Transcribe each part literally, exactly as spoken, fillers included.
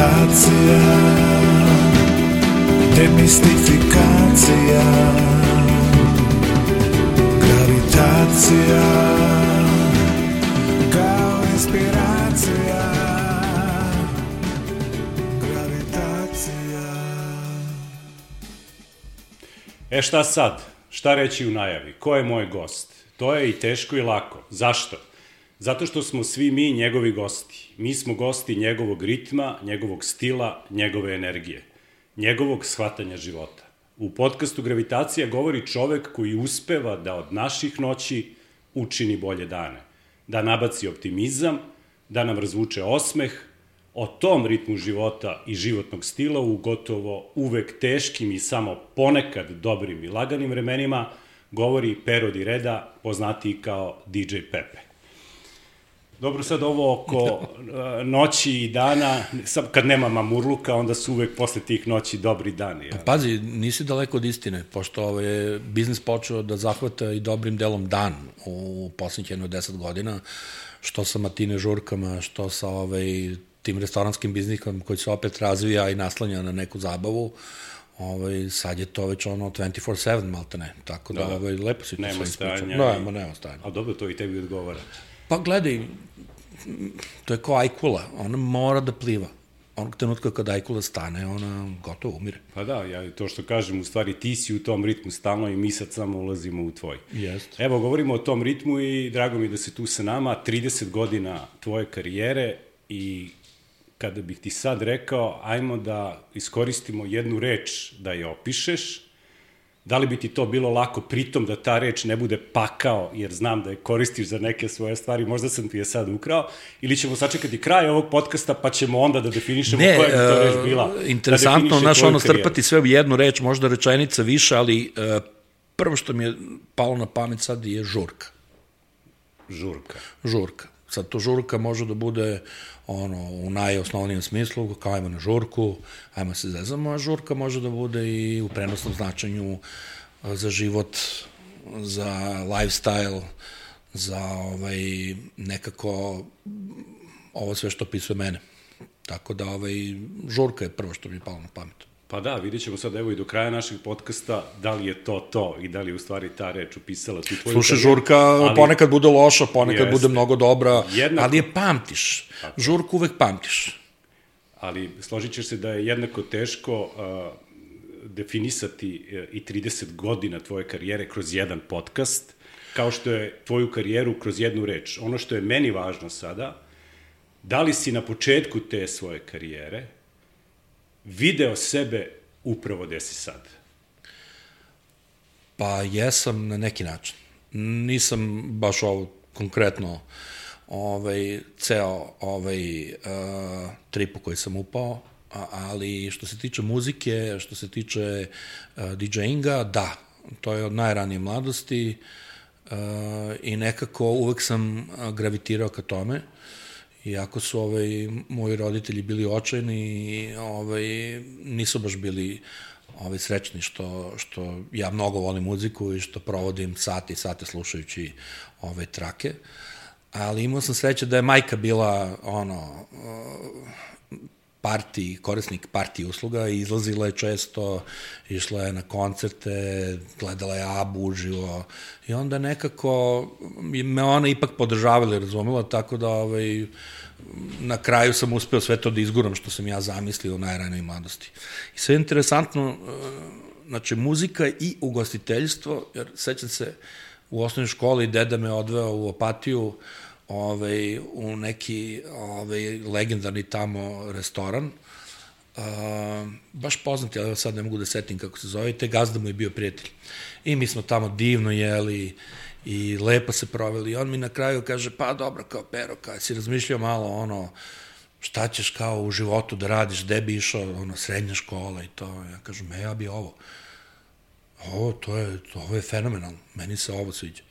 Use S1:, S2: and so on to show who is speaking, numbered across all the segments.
S1: Gravitacija, demistifikacija. Gravitacija, kao inspiracija. Gravitacija.
S2: E šta sad? Šta reći u najavi? Ko je moj gost? To je i teško i lako. Zašto? Zato što smo svi mi njegovi gosti. Mi smo gosti njegovog ritma, njegovog stila, njegove energije, njegovog shvatanja života. U podcastu Gravitacija govori čovek koji uspeva da od naših noći učini bolje dane, da nabaci optimizam, da nam razvuče osmeh. O tom ritmu života i životnog stila u gotovo uvek teškim i samo ponekad dobrim i laganim vremenima govori Pero Di Reda, poznatiji kao D J Pepe. Dobro, sad ovo oko noći i dana, sad kad nema mamurluka, onda su uvek posle tih noći dobri dani. Ja.
S3: Pazi, nisi daleko od istine, pošto ovaj, je biznis počeo da zahvata i dobrim delom dan u poslednjih jedno deset godina, što sa matine žurkama, što sa ovaj, tim restoranskim biznisom koji se opet razvija i naslanja na neku zabavu. Ovaj, sad je to već ono dvanaest sedam malte ne, tako da, da ovaj, lepo si to sve ispričao. Nema, nema stajanja.
S2: A dobro, to i tebi odgovara.
S3: Pa gledaj, to je kao ajkula, ona mora da pliva. Onog trenutka kada ajkula stane, ona gotovo umire.
S2: Pa da, ja to što kažem, u stvari ti si u tom ritmu stalno i mi sad samo ulazimo u tvoj.
S3: Jest.
S2: Evo, govorimo o tom ritmu i drago mi da si tu sa nama, trideset godina tvoje karijere i kada bih ti sad rekao, ajmo da iskoristimo jednu reč da je opišeš, da li bi ti to bilo lako, pritom da ta reč ne bude pakao, jer znam da je koristiš za neke svoje stvari, možda sam ti je sad ukrao, ili ćemo sačekati kraj ovog podcasta, pa ćemo onda da definišemo ne, koja bi to reč bila.
S3: Ne, interesantno, naš ono strpati sve u jednu reč, možda rečenica više, ali uh, prvo što mi je palo na pamet sad je žurka.
S2: Žurka.
S3: Žurka. Sad to žurka može da bude ono, u najosnovnijem smislu, kao ajmo na žurku, ajmo se zezamo, a žurka može da bude i u prenosnom značenju za život, za lifestyle, za ovaj, nekako ovo sve što opisuje mene. Tako da ovaj, žurka je prvo što mi je palo na pamet.
S2: Pa da, vidjet ćemo sad evo i do kraja našeg podcasta da li je to to i da li je u stvari ta reč upisala tu tvoju...
S3: Slušaj, žurka ali, ponekad bude loša, ponekad jeste, bude mnogo dobra, jednako, ali je pamtiš. Tako. Žurku uvek pamtiš.
S2: Ali složit ćeš se da je jednako teško uh, definisati uh, i trideset godina tvoje karijere kroz jedan podcast, kao što je tvoju karijeru kroz jednu reč. Ono što je meni važno sada, da li si na početku te svoje karijere video sebe upravo gde si sad?
S3: Pa jesam na neki način. Nisam baš ovo konkretno ovaj, ceo ovaj, uh, trip u koji sam upao, a, ali što se tiče muzike, što se tiče uh, DJinga, da, to je od najranije mladosti uh, i nekako uvek sam gravitirao ka tome. Iako su ovaj, moji roditelji bili očajni, ovaj, nisu baš bili ovaj, srećni što, što ja mnogo volim muziku i što provodim sate i sate slušajući ove trake. Ali imao sam sreće da je majka bila ono, parti, korisnik parti usluga i izlazila je često, išla je na koncerte, gledala je Abu uživo i onda nekako me ona ipak podržavala i razumela, tako da ovaj, na kraju sam uspeo sve to da izguram što sam ja zamislio u najranoj mladosti. I sve je interesantno, znači muzika i ugostiteljstvo, jer sećam se u osnovnoj školi deda me odveo u Opatiju, Ove, u neki ove, legendarni tamo restoran, uh, baš poznati, ali sad ne mogu da setim kako se zove, te gazda mu je bio prijatelj. I mi smo tamo divno jeli i lepo se proveli. I on mi na kraju kaže, pa dobro, kao Pero, kada si razmišljao malo ono, šta ćeš kao u životu da radiš, gde bi išao, ono, srednja škola i to. Ja kažem, e, ja bi ovo. Ovo, to je, to, ovo je fenomenalno, meni se ovo sviđa.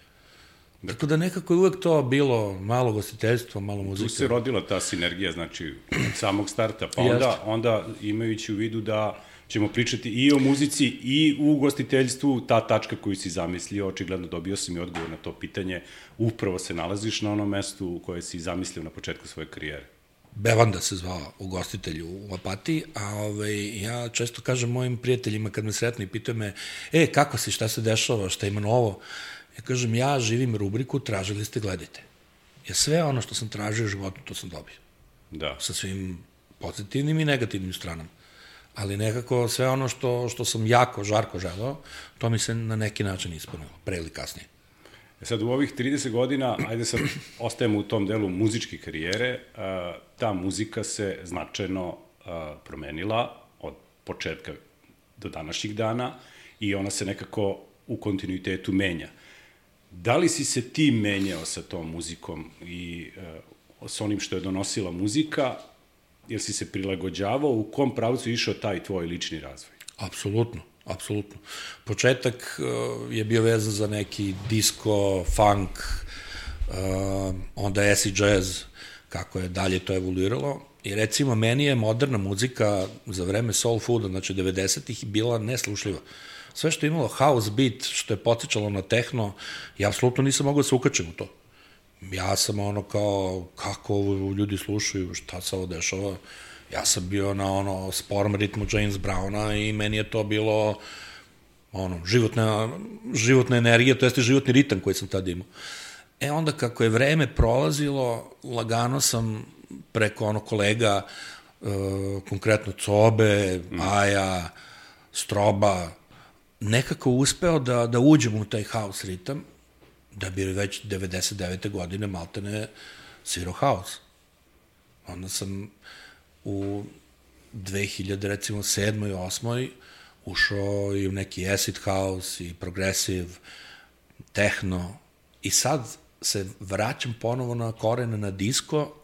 S3: Tako da nekako je uvek to bilo malo gostiteljstvo, malo muzike.
S2: Tu se rodila ta sinergija, znači, od samog starta, pa onda, onda imajući u vidu da ćemo pričati i o muzici i u ugostiteljstvu, ta tačka koju si zamislio, očigledno dobio si mi odgovor na to pitanje, upravo se nalaziš na onom mestu u koje si zamislio na početku svoje karijere.
S3: Bevanda se zvao ugostitelj u Opatiji, a ovaj, ja često kažem mojim prijateljima kad me sretnu i pitaju me, e, kako si, šta se dešava, šta ima novo? Ja kažem, ja živim rubriku, tražili ste, gledajte. Jer sve ono što sam tražio u životu, to sam dobio.
S2: Da.
S3: Sa svim pozitivnim i negativnim stranama. Ali nekako sve ono što, što sam jako, žarko želeo, to mi se na neki način ispunilo, pre ili kasnije.
S2: E sad, u ovih trideset godina, ajde sad ostajemo u tom delu muzičke karijere, ta muzika se značajno promenila od početka do današnjih dana i ona se nekako u kontinuitetu menja. Da li si se ti menjao sa tom muzikom i sa onim što je donosila muzika, jer si se prilagođavao, u kom pravcu je išao taj tvoj lični razvoj?
S3: Apsolutno, apsolutno. Početak uh, je bio vezan za neki disco, funk, uh, onda acid jazz, kako je dalje to evoluiralo. I recimo, meni je moderna muzika za vreme soul fooda, znači devedesetih, bila neslušljiva. Sve što je imalo house beat, što je podsjećalo na tehno, ja apsolutno nisam mogao da se ukačem u to. Ja sam ono kao, kako ovo ljudi slušaju, šta se ovo dešava. Ja sam bio na ono sporom ritmu James Browna i meni je to bilo ono, životna, životna energija, to jeste životni ritam koji sam tada imao. E onda kako je vreme prolazilo, lagano sam preko ono kolega, uh, konkretno Cobe, mm. Aja, Stroba, nekako uspeo da, da uđem u taj house ritam, da bi već devedeset devete godine maltene svirao house. Onda sam u dve hiljade, recimo, sedmoj, osmoj ušao i u neki acid house i progressive, techno i sad se vraćam ponovo na korene na disco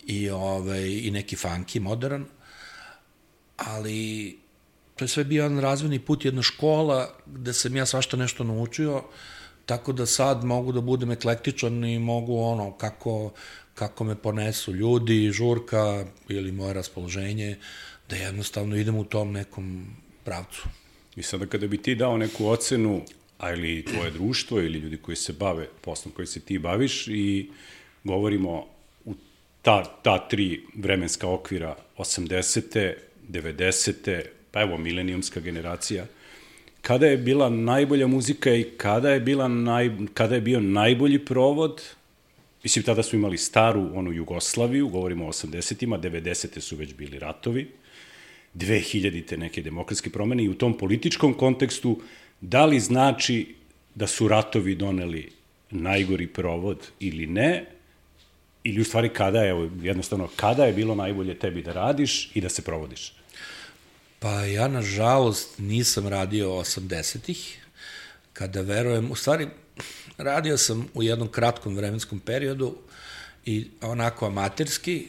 S3: i, ovaj, i neki funky, modern, ali to je sve bio jedan razvojni put, jedna škola gde sam ja svašta nešto naučio, tako da sad mogu da budem eklektičan i mogu ono, kako, kako me ponesu ljudi, žurka ili moje raspoloženje, da jednostavno idem u tom nekom pravcu.
S2: I sada kada bi ti dao neku ocenu, a ili tvoje društvo ili ljudi koji se bave poslom koji se ti baviš i govorimo u ta, ta tri vremenska okvira, osamdesete, devedesete, pa evo milenijumska generacija, kada je bila najbolja muzika i kada je, bila naj, kada je bio najbolji provod? Mislim, tada smo imali staru, onu Jugoslaviju, govorimo o osamdesetima, devedesete su već bili ratovi, dve hiljadite neke demokratske promene i u tom političkom kontekstu, da li znači da su ratovi doneli najgori provod ili ne, ili u stvari kada je, evo, jednostavno, kada je bilo najbolje tebi da radiš i da se provodiš?
S3: Pa ja, nažalost, nisam radio osamdesetih, kada verujem, u stvari, radio sam u jednom kratkom vremenskom periodu i onako amaterski,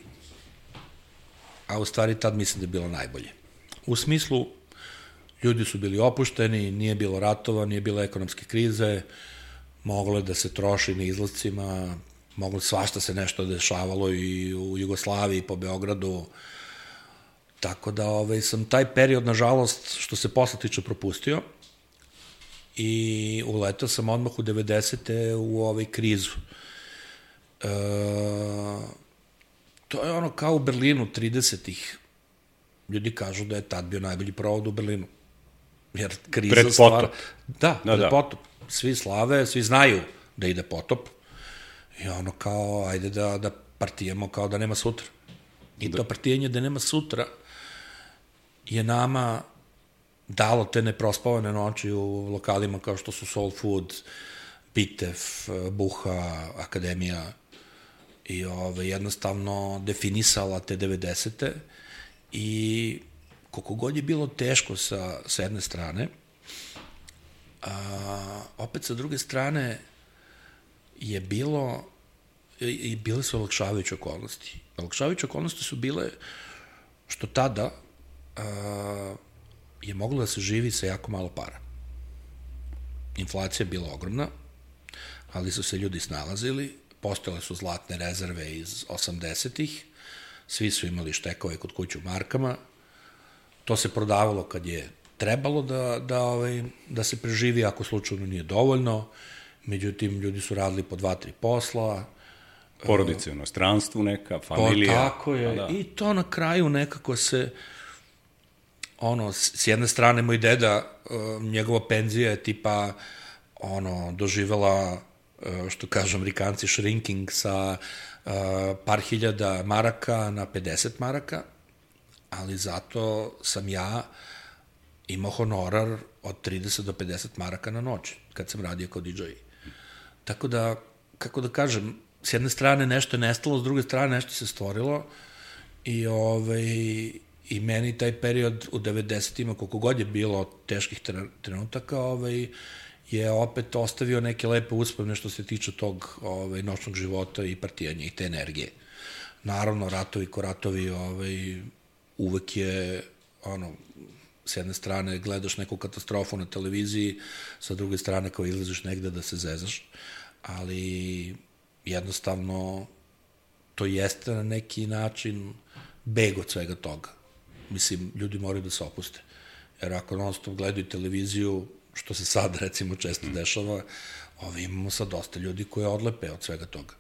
S3: a u stvari tad mislim da je bilo najbolje. U smislu, ljudi su bili opušteni, nije bilo ratova, nije bilo ekonomske krize, moglo je da se troši na izlazcima, moglo svašta se nešto dešavalo i u Jugoslaviji, po Beogradu, tako da ovaj, sam taj period, nažalost, što se posle tiče, propustio i uletao sam odmah u devedesete u ovaj krizu. E, to je ono kao u Berlinu tridesetih. Ljudi kažu da je tad bio najbolji provod u Berlinu. Jer kriza
S2: pred
S3: stvara...
S2: potop.
S3: Da, pred da, da. potop. Svi slave, svi znaju da ide potop. I ono kao, ajde da, da partijemo kao da nema sutra. I da. To partijenje da nema sutra je nama dalo te neprospavane noći u lokalima kao što su Soul Food, Pitev, Buha, Akademija i ove, jednostavno definisala te devedesete i koliko god je bilo teško sa, sa jedne strane, a, opet sa druge strane je bilo i bile su olakšavajuće okolnosti. Olakšavajuće okolnosti su bile što tada a, je moglo da se živi sa jako malo para. Inflacija je bila ogromna, ali su se ljudi snalazili, postojale su zlatne rezerve iz osamdesetih, svi su imali štekove kod kuće u markama, to se prodavalo kad je trebalo da, da, ovaj, da se preživi, ako slučajno nije dovoljno, međutim, ljudi su radili po dva, tri posla,
S2: Porodice u inostranstvu neka,
S3: Pa
S2: familija.
S3: tako je.
S2: Da.
S3: I to na kraju nekako se, ono, s s jedne strane moj deda, uh, njegova penzija je tipa, ono, doživela, uh, što kažu Amerikanci, shrinking sa uh, par hiljada maraka na pedeset maraka, ali zato sam ja imao honorar od trideset do pedeset maraka na noć, kad sam radio kao di džej. Tako da, kako da kažem, s jedne strane nešto je nestalo, s druge strane nešto se stvorilo i, ovaj, i meni taj period u devedesetima, koliko god je bilo teških trenutaka, ovaj, je opet ostavio neke lepe uspomene što se tiče tog ovaj, noćnog života i partijanja i te energije. Naravno, ratovi ko ratovi, ovaj, uvek je, ono, s jedne strane gledaš neku katastrofu na televiziji, sa druge strane kao izlaziš negde da se zezaš, ali jednostavno to jeste na neki način beg od svega toga. Mislim, ljudi moraju da se opuste. Jer ako non stop gledaju televiziju, što se sad recimo često dešava, ovi imamo sad dosta ljudi koji odlepe od svega toga.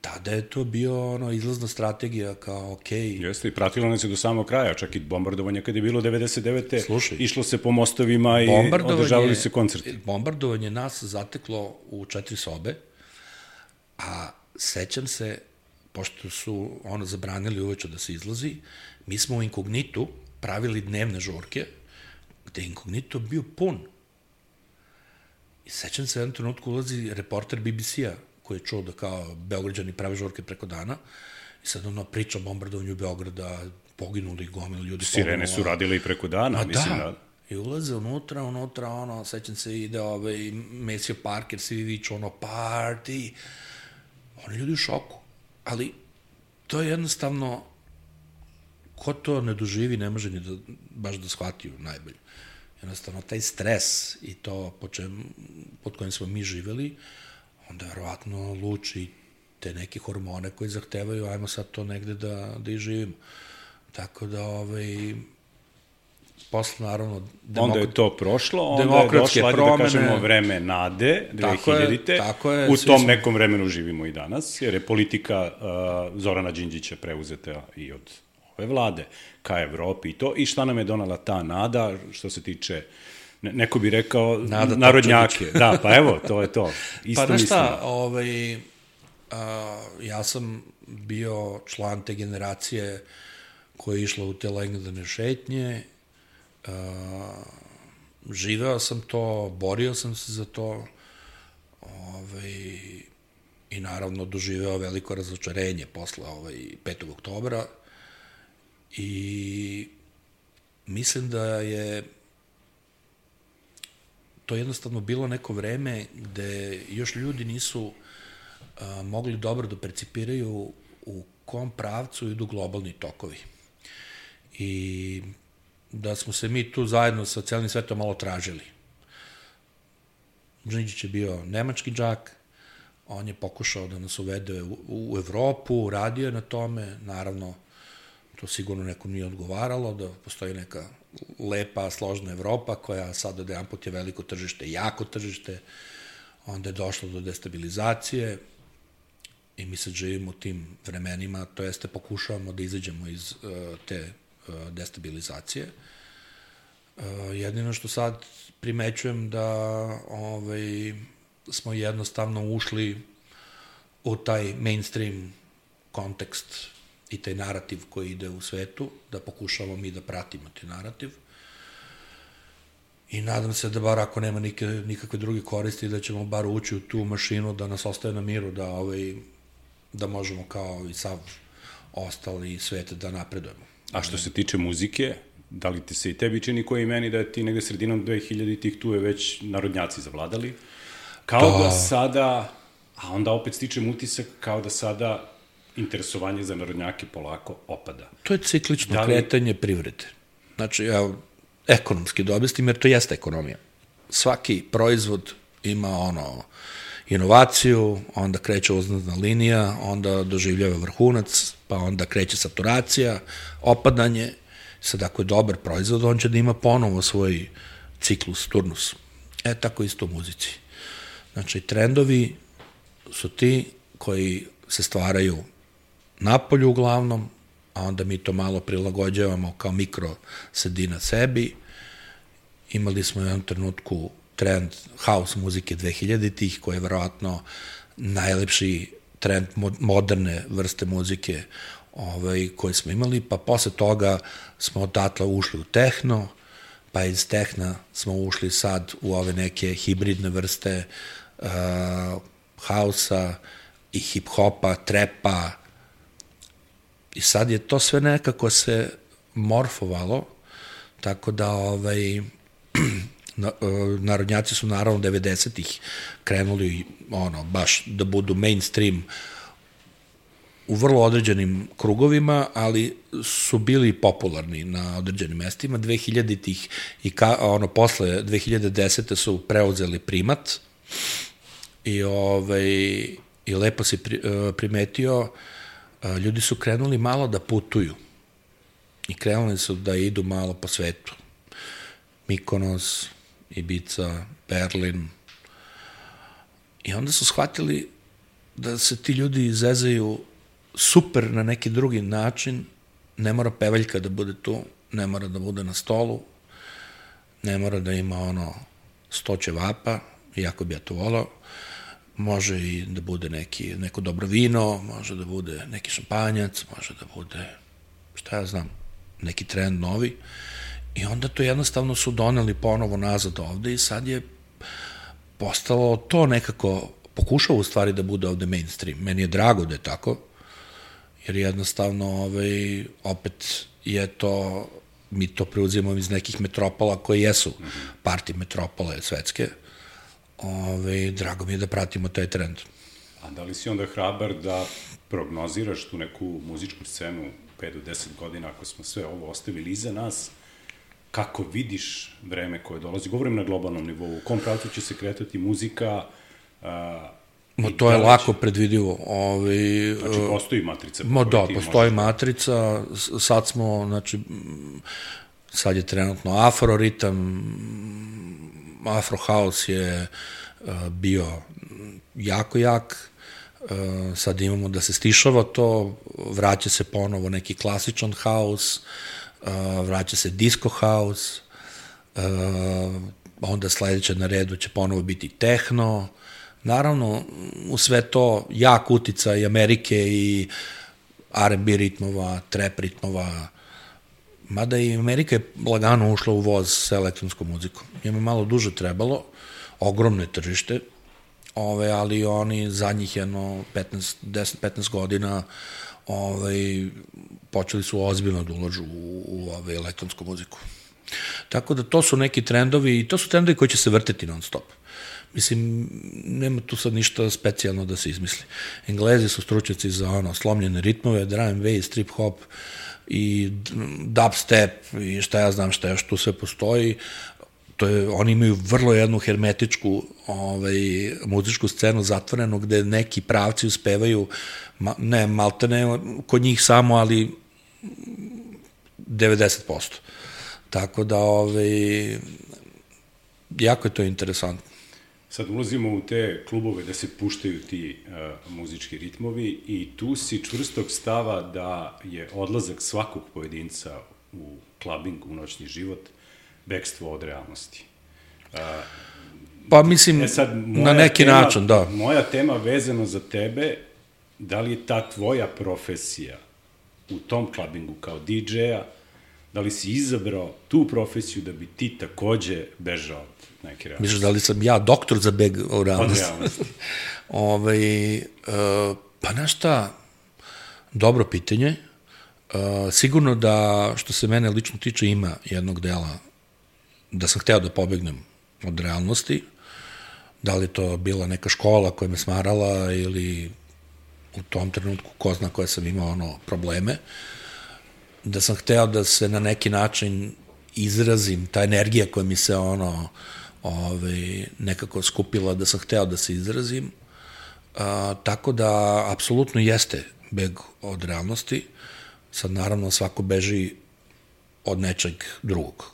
S3: Tada je to bio ono, izlazna strategija kao okej. Okay.
S2: Jeste, i pratilo nas je do samog kraja, čak i bombardovanje kad je bilo devedeset devete.
S3: Slušaj,
S2: išlo se po mostovima i održavali se koncerti.
S3: Bombardovanje nas zateklo u četiri sobe, a sećam se, pošto su ono zabranili uveče da se izlazi, mi smo u Inkognitu pravili dnevne žurke, gde je Inkognito bio pun. I sećam se, u jednom trenutku ulazi reporter B B C-a, koji je čuo da kao Beograđani prave žurke preko dana, i sad ono priča o bombardovanju Beograda, poginuli gomili ljudi.
S2: Sirene su radile i preko dana,
S3: A
S2: mislim
S3: da.
S2: da.
S3: I ulaze unutra, unutra, ono, sećam se, ide ovaj Maceo Parker, svi viču, ono, party. Oni ljudi u šoku. Ali to je jednostavno, ko to ne doživi, ne može ni da, baš da shvatiju najbolje. Jednostavno, taj stres i to po čem, pod kojim smo mi živeli, onda verovatno luči te neke hormone koji zahtevaju, ajmo sad to negde da, da i živimo. Tako da, ovaj, posle, naravno...
S2: Demok... Onda je to prošlo, onda je došlo, ajde da kažemo, vreme nade, dve hiljadite.
S3: Tako je,
S2: u tom
S3: smo...
S2: nekom vremenu živimo i danas, jer je politika uh, Zorana Đinđića preuzeta i od ove vlade ka Evropi i to. I šta nam je donala ta nada, što se tiče... Neko bi rekao nada narodnjake. Da, pa evo, to je to. Isto
S3: pa
S2: mislim.
S3: Pa šta, ovaj, a, ja sam bio član te generacije koja je išla u te legendarne šetnje, a, živeo sam to, borio sam se za to, ovaj, i naravno doživeo veliko razočarenje posle ovaj, petog oktobra i mislim da je to jednostavno bilo neko vreme gde još ljudi nisu a, mogli dobro da percipiraju u kom pravcu idu globalni tokovi. I da smo se mi tu zajedno sa celim svetom malo tražili. Đinđić je bio nemački džak, on je pokušao da nas uvede u, u Evropu, radio je na tome, naravno to sigurno nekom nije odgovaralo, da postoji neka lepa, složna Evropa koja sad od jedan put je veliko tržište, jako tržište, onda je došlo do destabilizacije i mi sad živimo u tim vremenima, to jeste pokušavamo da izađemo iz uh, te uh, destabilizacije. Uh, jedino što sad primećujem da ovaj, smo jednostavno ušli u taj mainstream kontekst i taj narativ koji ide u svetu, da pokušamo mi da pratimo taj narativ. I nadam se da bar ako nema nike, nikakve druge koristi, da ćemo bar ući u tu mašinu, da nas ostaje na miru, da, ovaj, da možemo kao i sav ostali svet da napredujemo.
S2: A što se tiče muzike, da li ti se i tebi čini koji meni da je ti negde sredinom dve hiljaditih tu je već narodnjaci zavladali? Kao da, da sada, a onda opet stičem utisak, kao da sada interesovanje za narodnjake polako opada.
S3: To je ciklično
S2: da li...
S3: kretanje privrede. Znači, ja ekonomski da objasnim, jer to jeste ekonomija. Svaki proizvod ima ono inovaciju, onda kreće uzlazna linija, onda doživljava vrhunac, pa onda kreće saturacija, opadanje. Sad, ako je dobar proizvod, on će da ima ponovo svoj ciklus, turnus. E, tako isto u muzici. Znači, trendovi su ti koji se stvaraju napolju uglavnom, a onda mi to malo prilagođavamo kao mikro sredina sebi. Imali smo u jednom trenutku trend house muzike dvehiljaditih, koji je verovatno najlepši trend moderne vrste muzike ovaj, koji smo imali, pa posle toga smo odatle ušli u tehno, pa iz tehna smo ušli sad u ove neke hibridne vrste uh, hausa i hip-hopa, trepa, i sad je to sve nekako se morfovalo, tako da ovaj, narodnjaci su naravno devedesetih krenuli ono, baš da budu mainstream u vrlo određenim krugovima, ali su bili popularni na određenim mestima. dvehiljaditih i ka, ono, posle dve hiljade desete su preuzeli primat i, ovaj, i lepo si pri, primetio, ljudi su krenuli malo da putuju i krenuli su da idu malo po svetu. Mikonos, Ibiza, Berlin. I onda su shvatili da se ti ljudi izezaju super na neki drugi način, ne mora pevaljka da bude tu, ne mora da bude na stolu, ne mora da ima ono sto ćevapa, iako bi ja to volao, može i da bude neki, neko dobro vino, može da bude neki šampanjac, može da bude, šta ja znam, neki trend novi. I onda to jednostavno su doneli ponovo nazad ovde i sad je postalo to nekako, pokušao u stvari da bude ovde mainstream. Meni je drago da je tako, jer jednostavno ovaj, opet je to, mi to preuzimamo iz nekih metropola koje jesu parti metropole svetske. Ove, drago mi je da pratimo taj trend.
S2: A da li si onda hrabar da prognoziraš tu neku muzičku scenu pet do deset godina, ako smo sve ovo ostavili iza nas, kako vidiš vreme koje dolazi? Govorim na globalnom nivou, u kom pravcu će se kretati muzika? A,
S3: Mo, to je lako predvidivo. Ovi,
S2: znači, postoji matrica?
S3: Mo, da, postoji možeš... matrica. Sad smo, znači, sad je trenutno afroritam, afro house je uh, bio jako jak, uh, sad imamo da se stišava to, vraća se ponovo neki klasičan house, uh, vraća se disco house, uh, onda sledeće na redu će ponovo biti techno. Naravno, u sve to jak uticaj Amerike i R and B ritmova, trap ritmova, mada i Amerika je lagano ušla u voz sa elektronskom muzikom. Njima malo duže trebalo, ogromno je tržište, ove, ali oni zadnjih jedno petnaest, deset petnaest godina ove, počeli su ozbiljno da ulažu u, u ove, elektronsku muziku. Tako da to su neki trendovi, i to su trendovi koji će se vrteti non stop. Mislim, nema tu sad ništa specijalno da se izmisli. Englezi su stručnjaci za ono, slomljene ritmove, drum and bass, trip hop i dubstep i šta ja znam šta još tu sve postoji. To je, oni imaju vrlo jednu hermetičku ovaj, muzičku scenu zatvorenu gde neki pravci uspevaju, ma, ne malte ne kod njih samo, ali devedeset posto. Tako da ovaj, jako je to interesantno.
S2: Sad ulazimo u te klubove da se puštaju ti uh, muzički ritmovi i tu si čvrstog stava da je odlazak svakog pojedinca u klabing, u noćni život, bekstvo od realnosti. Uh,
S3: pa mislim,
S2: e sad,
S3: na neki
S2: tema,
S3: način, da.
S2: Moja tema vezano za tebe, da li je ta tvoja profesija u tom klabingu kao di džeja, da li si izabrao tu profesiju da bi ti takođe bežao od neke realnosti?
S3: Misliš da li sam ja doktor za beg u realnosti?
S2: Od realnosti.
S3: Ove, uh, pa znaš šta, dobro pitanje. Uh, sigurno da, što se mene lično tiče, ima jednog dela da sam hteo da pobegnem od realnosti. Da li to bila neka škola koja me smarala ili u tom trenutku ko zna koje sam imao ono, probleme. Da sam hteo da se na neki način izrazim, ta energija koja mi se ono ovaj, nekako skupila, da sam hteo da se izrazim. A, tako da, apsolutno jeste beg od realnosti. Sad, naravno, svako beži od nečeg drugog.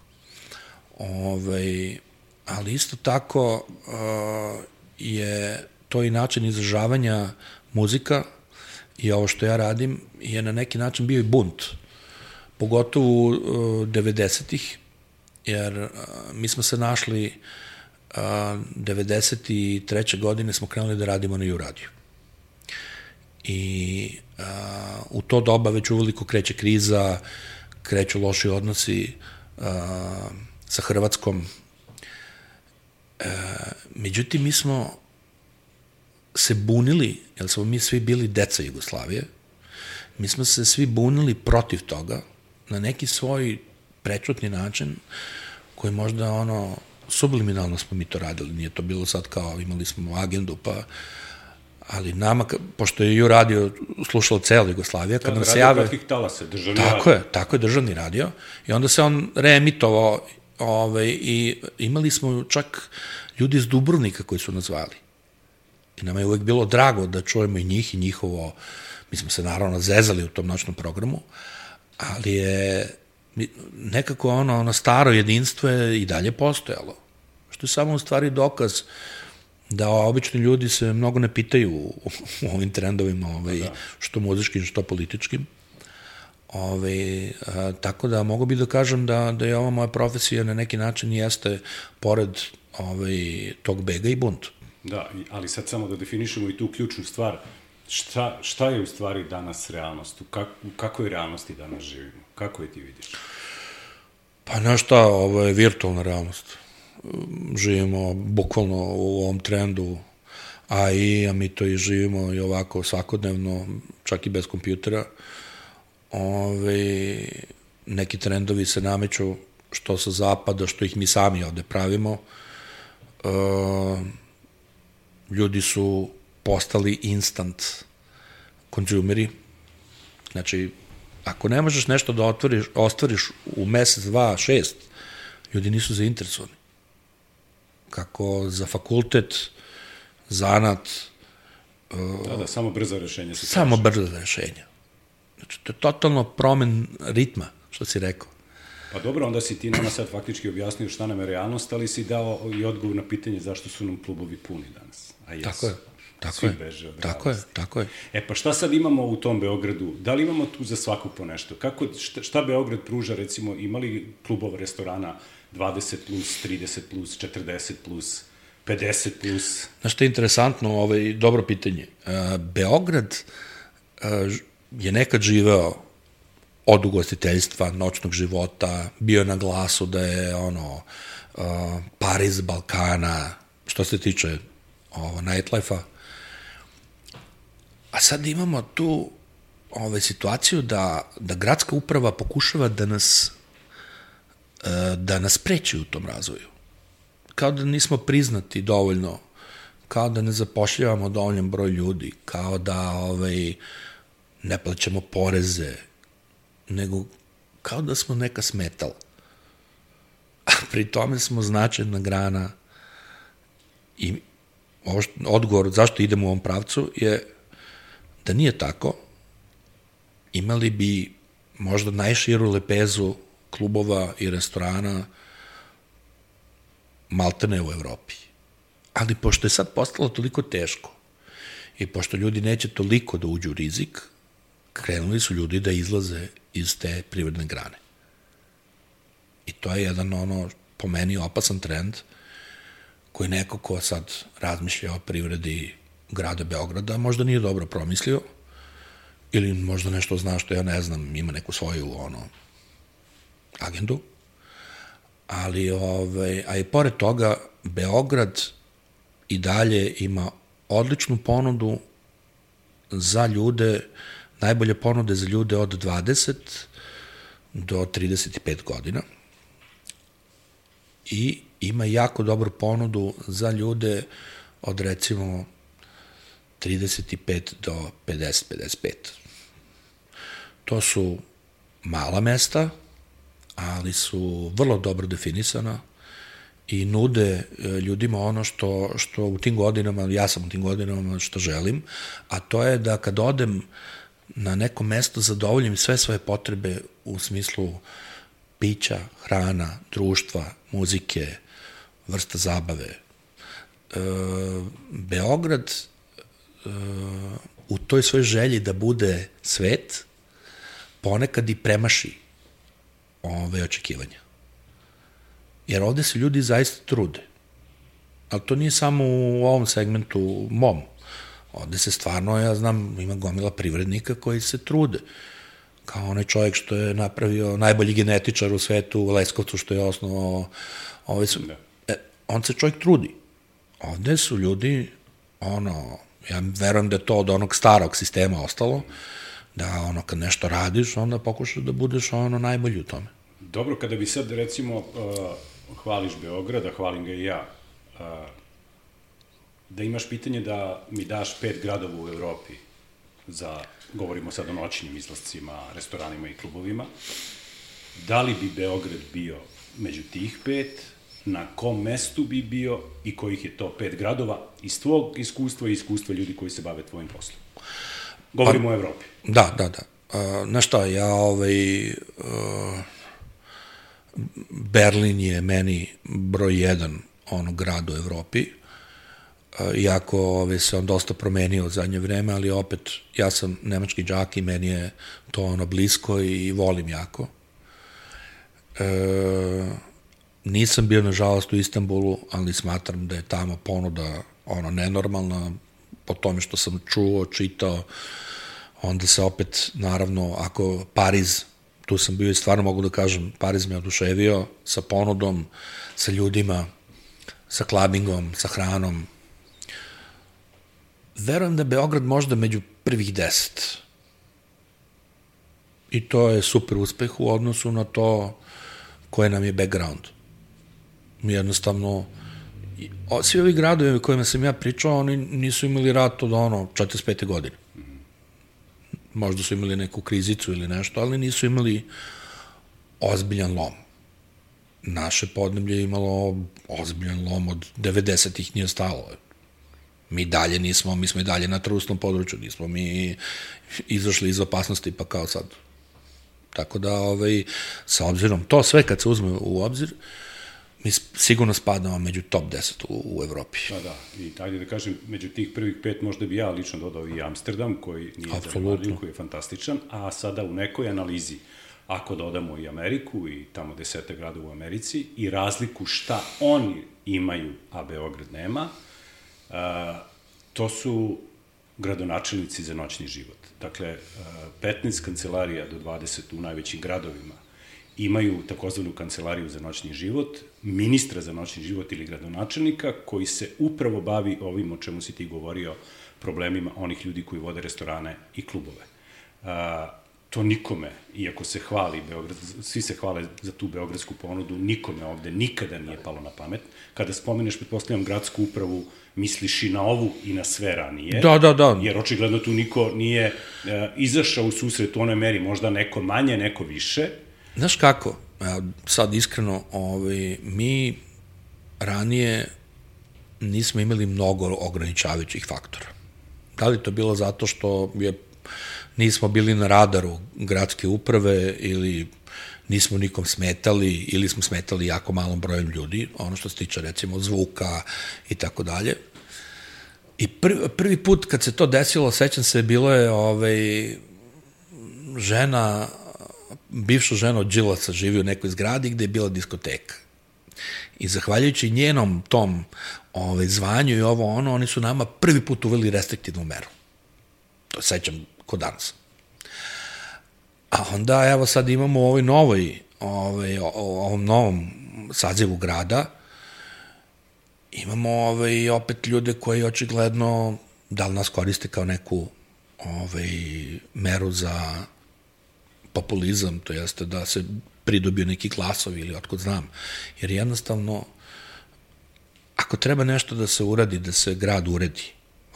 S3: Ovaj, ali isto tako a, je to i način izražavanja muzika i ovo što ja radim je na neki način bio i bunt, pogotovo u devedesetih, jer mi smo se našli devedeset treće godine smo krenuli da radimo na U-radiju. I a, u to doba već uveliko kreće kriza, kreću loši odnosi a, sa Hrvatskom. E, međutim, mi smo se bunili, jer smo mi svi bili deca Jugoslavije, mi smo se svi bunili protiv toga na neki svoj prečutni način koji možda ono subliminalno smo mi to radili, nije to bilo sad kao imali smo agendu, pa ali nama, pošto je ju radio slušalo cela Jugoslavija, kad nam se jave...
S2: Radio kratkih talasa, državni
S3: tako
S2: radio.
S3: Je, tako je, državni radio. I onda se on reemitovao ovaj, i imali smo čak ljudi iz Dubrovnika koji su nas zvali. I nama je uvek bilo drago da čujemo i njih i njihovo... Mi smo se naravno zezali u tom noćnom programu, ali je nekako ono, ono staro jedinstvo je i dalje postojalo. Što je samo u stvari dokaz da obični ljudi se mnogo ne pitaju u, u ovim trendovima, ovaj, da. Što muzičkim, što političkim. Ovaj, a, tako da mogu bi da kažem da, da je ova moja profesija na neki način jeste pored ovaj, tog bega i bunt.
S2: Da, ali sad samo da definišemo i tu ključnu stvar. Šta, šta je u stvari danas realnost? U, kak, u kakvoj realnosti danas živimo? Kako je ti vidiš?
S3: Pa na šta, ovo je virtualna realnost. Živimo bukvalno u ovom trendu A I, a mi to i živimo i ovako svakodnevno, čak i bez kompjutera. Ove, neki trendovi se nameću što sa zapada, što ih mi sami ovde pravimo. E, ljudi su postali instant konzumeri. Znači, ako ne možeš nešto da otvoriš, ostvariš u mesec, dva, šest, ljudi nisu zainteresovani. Kako za fakultet, zanat...
S2: Da, da, samo brzo rešenje.
S3: Samo brzo rešenje. Znači, to je totalno promen ritma, što si rekao.
S2: Pa dobro, onda si ti nama sad faktički objasnio šta nam je realnost, ali si dao i odgovor na pitanje zašto su nam klubovi puni danas. A jesu.
S3: Tako je. Tako
S2: Svi
S3: je,
S2: beže od
S3: tako je, tako je.
S2: E pa šta sad imamo u tom Beogradu? Da li imamo tu za svaku po nešto? Kako, šta, šta Beograd pruža, recimo, imali klubova, restorana dvadeset plus, trideset plus, četrdeset plus, pedeset plus?
S3: Znaš što je interesantno, ovaj, dobro pitanje. Beograd je nekad živeo od ugostiteljstva, noćnog života, bio na glasu da je ono Pariz Balkana, što se tiče ovo, nightlife-a. A sad imamo tu ove, situaciju da, da gradska uprava pokušava da nas da nas preći u tom razvoju. Kao da nismo priznati dovoljno, kao da ne zapošljavamo dovoljan broj ljudi, kao da ovaj, ne plaćamo poreze, nego kao da smo neka smetala. A pri tome smo značajna grana i ovo što, odgovor zašto idemo u ovom pravcu je da nije tako, imali bi možda najširu lepezu klubova i restorana maltene u Evropi. Ali pošto je sad postalo toliko teško i pošto ljudi neće toliko da uđu u rizik, krenuli su ljudi da izlaze iz te privredne grane. I to je jedan ono, po meni, opasan trend koji neko ko sad razmišlja o privredi grada Beograda možda nije dobro promislio ili možda nešto zna što ja ne znam, ima neku svoju ono, agendu, ali ove, a i pored toga Beograd i dalje ima odličnu ponudu za ljude, najbolje ponude za ljude od dvadeset do trideset pet godina i ima jako dobru ponudu za ljude od recimo trideset pet do pedeset pedeset pet. To su mala mesta, ali su vrlo dobro definisana i nude ljudima ono što, što u tim godinama, ja sam u tim godinama što želim, a to je da kad odem na neko mesto zadovoljim sve svoje potrebe u smislu pića, hrana, društva, muzike, vrsta zabave. E, Beograd e, u toj svoj želji da bude svet, ponekad i premaši ove očekivanja. Jer ovde se ljudi zaista trude. Ali to nije samo u ovom segmentu mom. Ovde se stvarno, ja znam, ima gomila privrednika koji se trude. Kao onaj čovjek što je napravio najbolji genetičar u svetu u Leskovcu, što je osnovao ovaj su... E, on se čovjek trudi. Ovde su ljudi, ono, ja verujem da je to od onog starog sistema ostalo, da ono, kad nešto radiš, onda pokušaš da budeš ono najbolji u tome.
S2: Dobro, kada bi sad, recimo, uh, hvališ Beograda, hvalim ga i ja, uh, da imaš pitanje da mi daš pet gradova u Evropi za, govorimo sad o noćnim izlascima, restoranima i klubovima, da li bi Beograd bio među tih pet, na kom mestu bi bio i kojih je to pet gradova iz tvog iskustva i iskustva ljudi koji se bave tvojim poslom? Govorimo pa, o Evropi.
S3: Da, da, da. Uh, znaš šta, ja ovaj... Uh, Berlin je meni broj jedan ono grad u Evropi, iako ove, se on dosta promenio u zadnje vreme, ali opet ja sam nemački đak i meni je to ono blisko i volim jako. E, nisam bio nažalost u Istanbulu, ali smatram da je tamo ponuda ono nenormalna, po tome što sam čuo, čitao, onda se opet, naravno, ako Pariz, tu sam bio i stvarno mogu da kažem, Pariz me oduševio sa ponudom, sa ljudima, sa klabingom, sa hranom. Verujem da je Beograd možda među prvih deset. I to je super uspeh u odnosu na to koje nam je background. Mi jednostavno, svi ovi gradovi o kojima sam ja pričao, oni nisu imali rat od ono četrdeset pete godine. Možda su imali neku krizicu ili nešto, ali nisu imali ozbiljan lom. Naše podneblje je imalo ozbiljan lom od devedesetih nije stalo. Mi dalje nismo, mi smo i dalje na trusnom području, nismo mi izašli iz opasnosti pa kao sad. Tako da, ovaj, sa obzirom, to sve kad se uzme u obzir, mi sigurno spadamo među top deset u, u Evropi.
S2: Da, da, i tajde da kažem, među tih prvih pet možda bi ja lično dodao i Amsterdam, koji nije zanemarljiv, koji je fantastičan, a sada u nekoj analizi, ako dodamo i Ameriku i tamo desete grada u Americi i razliku šta oni imaju, a Beograd nema, a, to su gradonačelnici za noćni život. Dakle, petnaest kancelarija do dvadeset u najvećim gradovima imaju takozvanu kancelariju za noćni život, ministra za noćni život ili gradonačelnika koji se upravo bavi ovim o čemu si ti govorio, problemima onih ljudi koji vode restorane i klubove. A, to nikome, iako se hvali Beograd, svi se hvale za tu beogradsku ponudu, nikome ovde nikada nije palo na pamet. Kada spomeneš, pretpostavljam, gradsku upravu, misliš i na ovu i na sve ranije.
S3: Da, da, da.
S2: Jer očigledno tu niko nije e, izašao u susret u onoj meri, možda neko manje, neko više.
S3: Znaš kako, sad iskreno, ovaj, mi ranije nismo imali mnogo ograničavajućih faktora. Da li to bilo zato što je, nismo bili na radaru gradske uprave ili nismo nikom smetali ili smo smetali jako malom brojem ljudi, ono što se tiče recimo zvuka i tako dalje. I prvi, prvi put kad se to desilo, sećam se, bilo je ovaj, žena, bivša žena od Đilasa živi u nekoj zgradi gde je bila diskoteka. I zahvaljujući njenom tom ovaj, zvanju i ovo ono, oni su nama prvi put uveli restriktivnu meru. To sećam ko danas. A onda, evo sad imamo u ovoj novoj, ovaj, ovom novom sazivu grada, imamo ovaj, opet ljude koji očigledno da li nas koriste kao neku ovaj, meru za populizam, to jeste da se pridobiju neki glasovi ili otkud znam. Jer jednostavno, ako treba nešto da se uradi, da se grad uredi,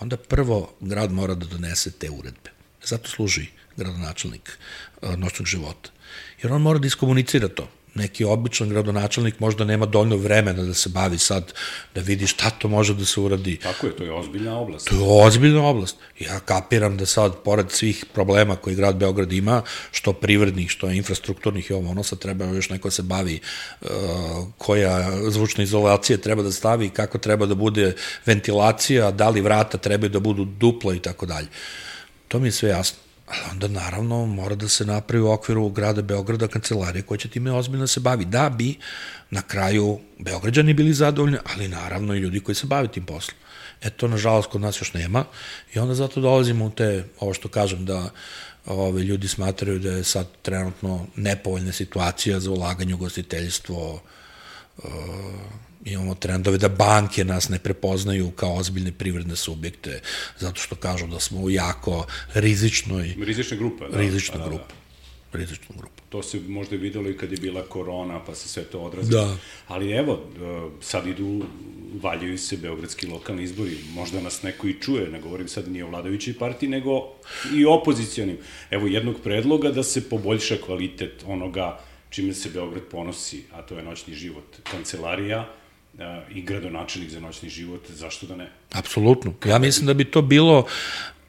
S3: onda prvo grad mora da donese te uredbe. Zato služi gradonačelnik noćnog života. Jer on mora da iskomunicira to. Neki običan gradonačelnik možda nema dovoljno vremena da se bavi sad, da vidi šta to može da se uradi.
S2: Tako je, to je ozbiljna oblast.
S3: To je ozbiljna oblast. Ja kapiram da sad, pored svih problema koji grad Beograd ima, što privrednih, što infrastrukturnih i ovo, ono sad treba još neko se bavi uh, koja zvučna izolacija treba da stavi, kako treba da bude ventilacija, da li vrata trebaju da budu dupla i tako dalje. To mi je sve jasno. Ali onda, naravno, mora da se napravi u okviru grada Beograda kancelarija koja će time ozbiljno se bavi. Da bi na kraju Beograđani bili zadovoljni, ali naravno i ljudi koji se bave tim poslom. E to, nažalost, kod nas još nema i onda zato dolazimo u te, ovo što kažem, da ove, ljudi smatraju da je sad trenutno nepovoljna situacija za ulaganje u gostiteljstvo, uh, imamo trendove da banke nas ne prepoznaju kao ozbiljne privredne subjekte, zato što kažu da smo u jako rizičnoj...
S2: Rizična grupa. Da,
S3: rizična
S2: da,
S3: grupa.
S2: Da.
S3: Rizična grupa.
S2: To se možda videlo i kad je bila korona, pa se sve to odrazilo.
S3: Da.
S2: Ali evo, sad idu, valjaju se beogradski lokalni izbori, možda nas neko i čuje, ne govorim sad ni o vladajućoj partiji, nego i opozicijonim. Evo jednog predloga da se poboljša kvalitet onoga čime se Beograd ponosi, a to je noćni život. Kancelarija i gradonačelnik za noćni život, zašto da ne?
S3: Apsolutno. Ja mislim da bi to bilo,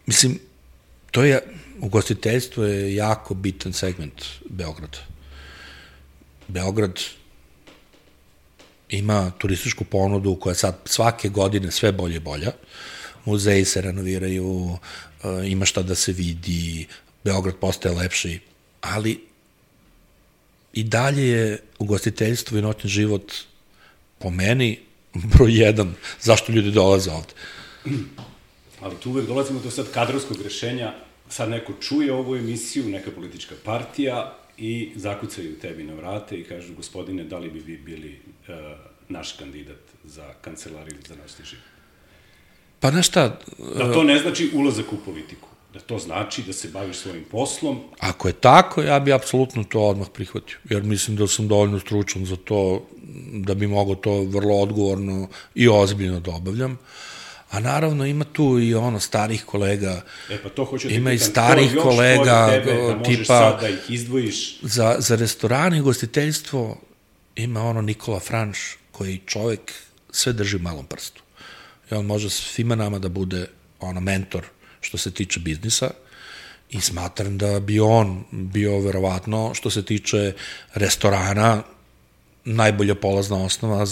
S3: mislim, to je, ugostiteljstvo je jako bitan segment Beograda. Beograd ima turističku ponudu koja sad svake godine sve bolje i bolja. Muzeji se renoviraju, ima šta da se vidi, Beograd postaje lepši, ali i dalje je ugostiteljstvo i noćni život po meni broj jedan, zašto ljudi dolaze ovde.
S2: Ali tu uvek dolazimo do sad kadrovskog rešenja, sad neko čuje ovu emisiju, neka politička partija i zakucaju tebi na vrate i kažu, gospodine, da li bi vi bili uh, naš kandidat za kancelariju za noćni život?
S3: Pa znaš šta...
S2: Uh, da to ne znači ulazak u politiku, da to znači da se baviš svojim poslom.
S3: Ako je tako, ja bi apsolutno to odmah prihvatio, jer mislim da sam dovoljno stručan za to, da bi mogo to vrlo odgovorno i ozbiljno da obavljam. A naravno ima tu i ono starih kolega,
S2: e, pa to hoću da
S3: ima
S2: pitan,
S3: i starih kolega
S2: tebe, da
S3: tipa
S2: sad da ih izdvojiš.
S3: Za, za restorane i gostiteljstvo ima ono Nikola Franš koji čovek sve drži u malom prstu. I on može svima nama da bude ono mentor što se tiče biznisa i smatram da bi on bio verovatno što se tiče restorana najbolja polazna osnova,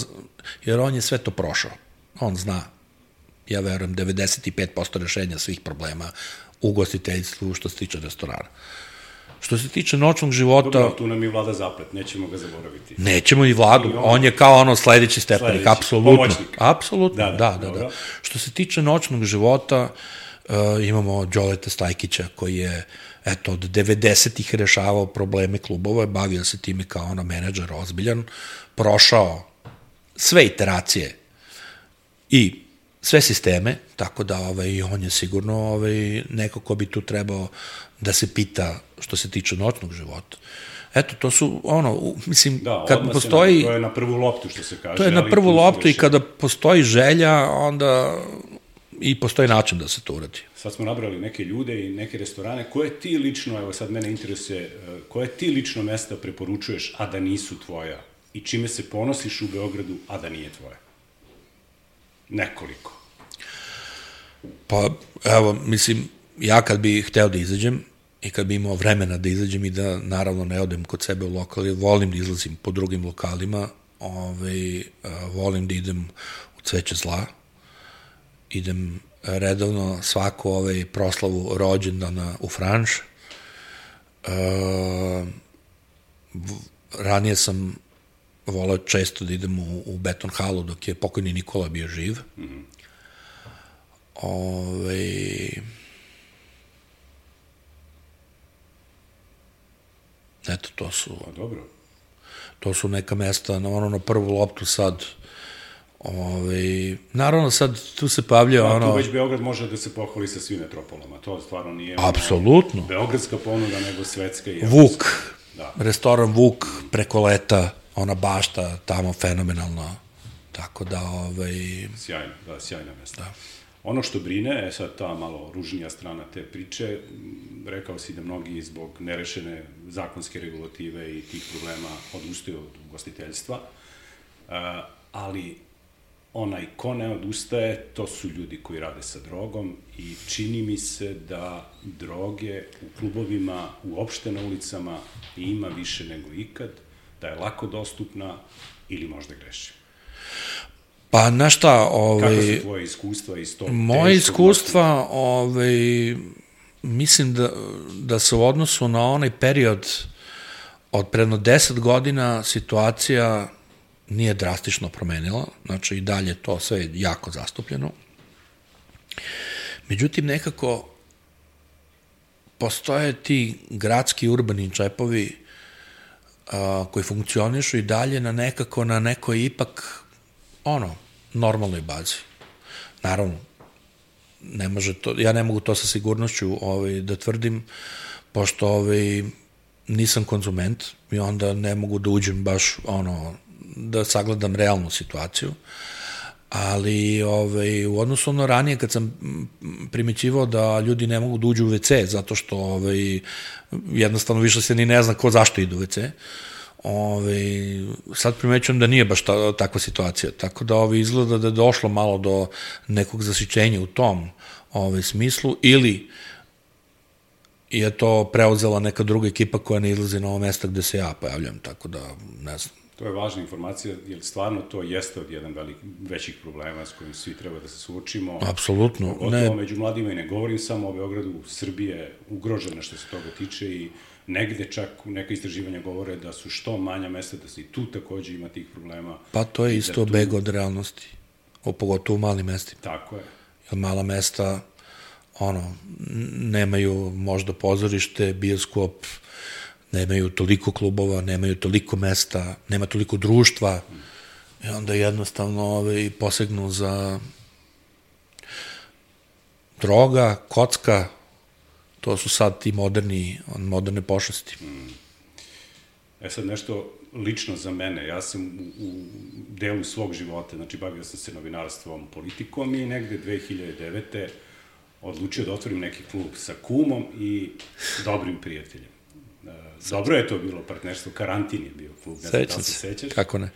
S3: jer on je sve to prošao. On zna, ja verujem, devedeset pet posto rešenja svih problema u ugostiteljstvu što se tiče restorana. Što se tiče noćnog života...
S2: Dobro, tu nam i Vlada Zaplet, nećemo ga zaboraviti.
S3: Nećemo i Vladu, on, on je kao ono sledeći stepenik, sledeći, apsolutno. Pomoćnik. Apsolutno, da, da, da, da. Što se tiče noćnog života, uh, imamo Đoleta Stajkića koji je eto, od devedesetih rešavao probleme klubova, bavio se time kao ono menadžer ozbiljan, prošao sve iteracije i sve sisteme, tako da ovaj, on je sigurno ovaj, neko ko bi tu trebao da se pita što se tiče noćnog života. Eto, to su, ono, mislim,
S2: da,
S3: kad postoji...
S2: Na, to je na prvu loptu, što se kaže.
S3: To je na prvu loptu i kada postoji želja, onda i postoji način da se to uradi.
S2: Sad smo nabrali neke ljude i neke restorane. Koje ti lično, evo sad mene interesuje, koje ti lično mesta preporučuješ, a da nisu tvoja? I čime se ponosiš u Beogradu, a da nije tvoja? Nekoliko.
S3: Pa, evo, mislim, ja kad bi hteo da izađem i kad bi imao vremena da izađem i da naravno ne odem kod sebe u lokali, volim da izlazim po drugim lokalima, ovaj, volim da idem u Cveće zla, idem redovno svaku ovaj proslavu rođendana u Franš. E, ranije sam voleo često da idem u, u Beton halu dok je pokojni Nikola bio živ. Mm-hmm. Ove, eto, to su...
S2: Pa dobro.
S3: To su neka mesta, na ono na prvu loptu sad. Ove, naravno sad tu se pavlja da, ono...
S2: Tu već Beograd može da se pohvali sa svim metropolama, to stvarno nije...
S3: Apsolutno.
S2: Ono, beogradska ponuda, nego svetska i...
S3: Vuk, da. Restoran Vuk preko leta, ona bašta tamo fenomenalno, tako da... Ovaj...
S2: Sjajno, da, sjajna mesta.
S3: Da.
S2: Ono što brine, je sad ta malo ružnija strana te priče, rekao si da mnogi zbog nerešene zakonske regulative i tih problema odustaju od ugostiteljstva, ali onaj ko ne odustaje, to su ljudi koji rade sa drogom i čini mi se da droge u klubovima, uopšte na ulicama ima više nego ikad, da je lako dostupna ili možda grešim.
S3: Pa, znaš šta, ovaj...
S2: Kako su tvoje iskustva iz tog...
S3: Moje iskustva, ovaj... mislim da, da se u odnosu na onaj period od predno deset godina situacija nije drastično promenila, znači i dalje to sve jako zastupljeno. Međutim, nekako postoje ti gradski urbani džepovi a, koji funkcionišu i dalje na nekako na nekoj ipak ono, normalnoj bazi. Naravno, ne može to, ja ne mogu to sa sigurnošću ovaj, da tvrdim, pošto ovaj, nisam konzument i onda ne mogu da uđem baš ono, da sagledam realnu situaciju, ali ovaj, u odnosu na ranije kad sam primećivao da ljudi ne mogu da uđu u ve ce zato što ovaj, jednostavno više se ni ne zna ko zašto idu u ve ce, ovaj, sad primećujem da nije baš ta, takva situacija, tako da ovaj, izgleda da je došlo malo do nekog zasićenja u tom ovaj, smislu, ili je to preuzela neka druga ekipa koja ne izlazi na ovo mesta gde se ja pojavljam, tako da ne znam.
S2: To je važna informacija, jer stvarno to jeste od jedan velik, većih problema s kojim svi treba da se suočimo.
S3: Apsolutno.
S2: Pogotovo ne... među mladima, i ne govorim samo o Beogradu, Srbije je ugrožena što se toga tiče i negde čak neka istraživanja govore da su što manja mesta, da se i tu takođe ima tih problema.
S3: Pa to je isto tu... beg od realnosti, o, pogotovo u malim mestima.
S2: Tako je.
S3: Jer mala mesta, ono, nemaju možda pozorište, bioskop, nemaju toliko klubova, nemaju toliko mesta, nema toliko društva i onda jednostavno ovaj, posegnu za droga, kocka, to su sad ti moderni, moderne pošasti.
S2: E sad nešto lično za mene, ja sam u, u delu svog života, znači bavio sam se novinarstvom, politikom i negde dve hiljade devete odlučio da otvorim neki klub sa kumom i dobrim prijateljem. Dobro je to bilo partnerstvo, Karantin je bio klub, ne znam da li se sećaš.
S3: Kako ne?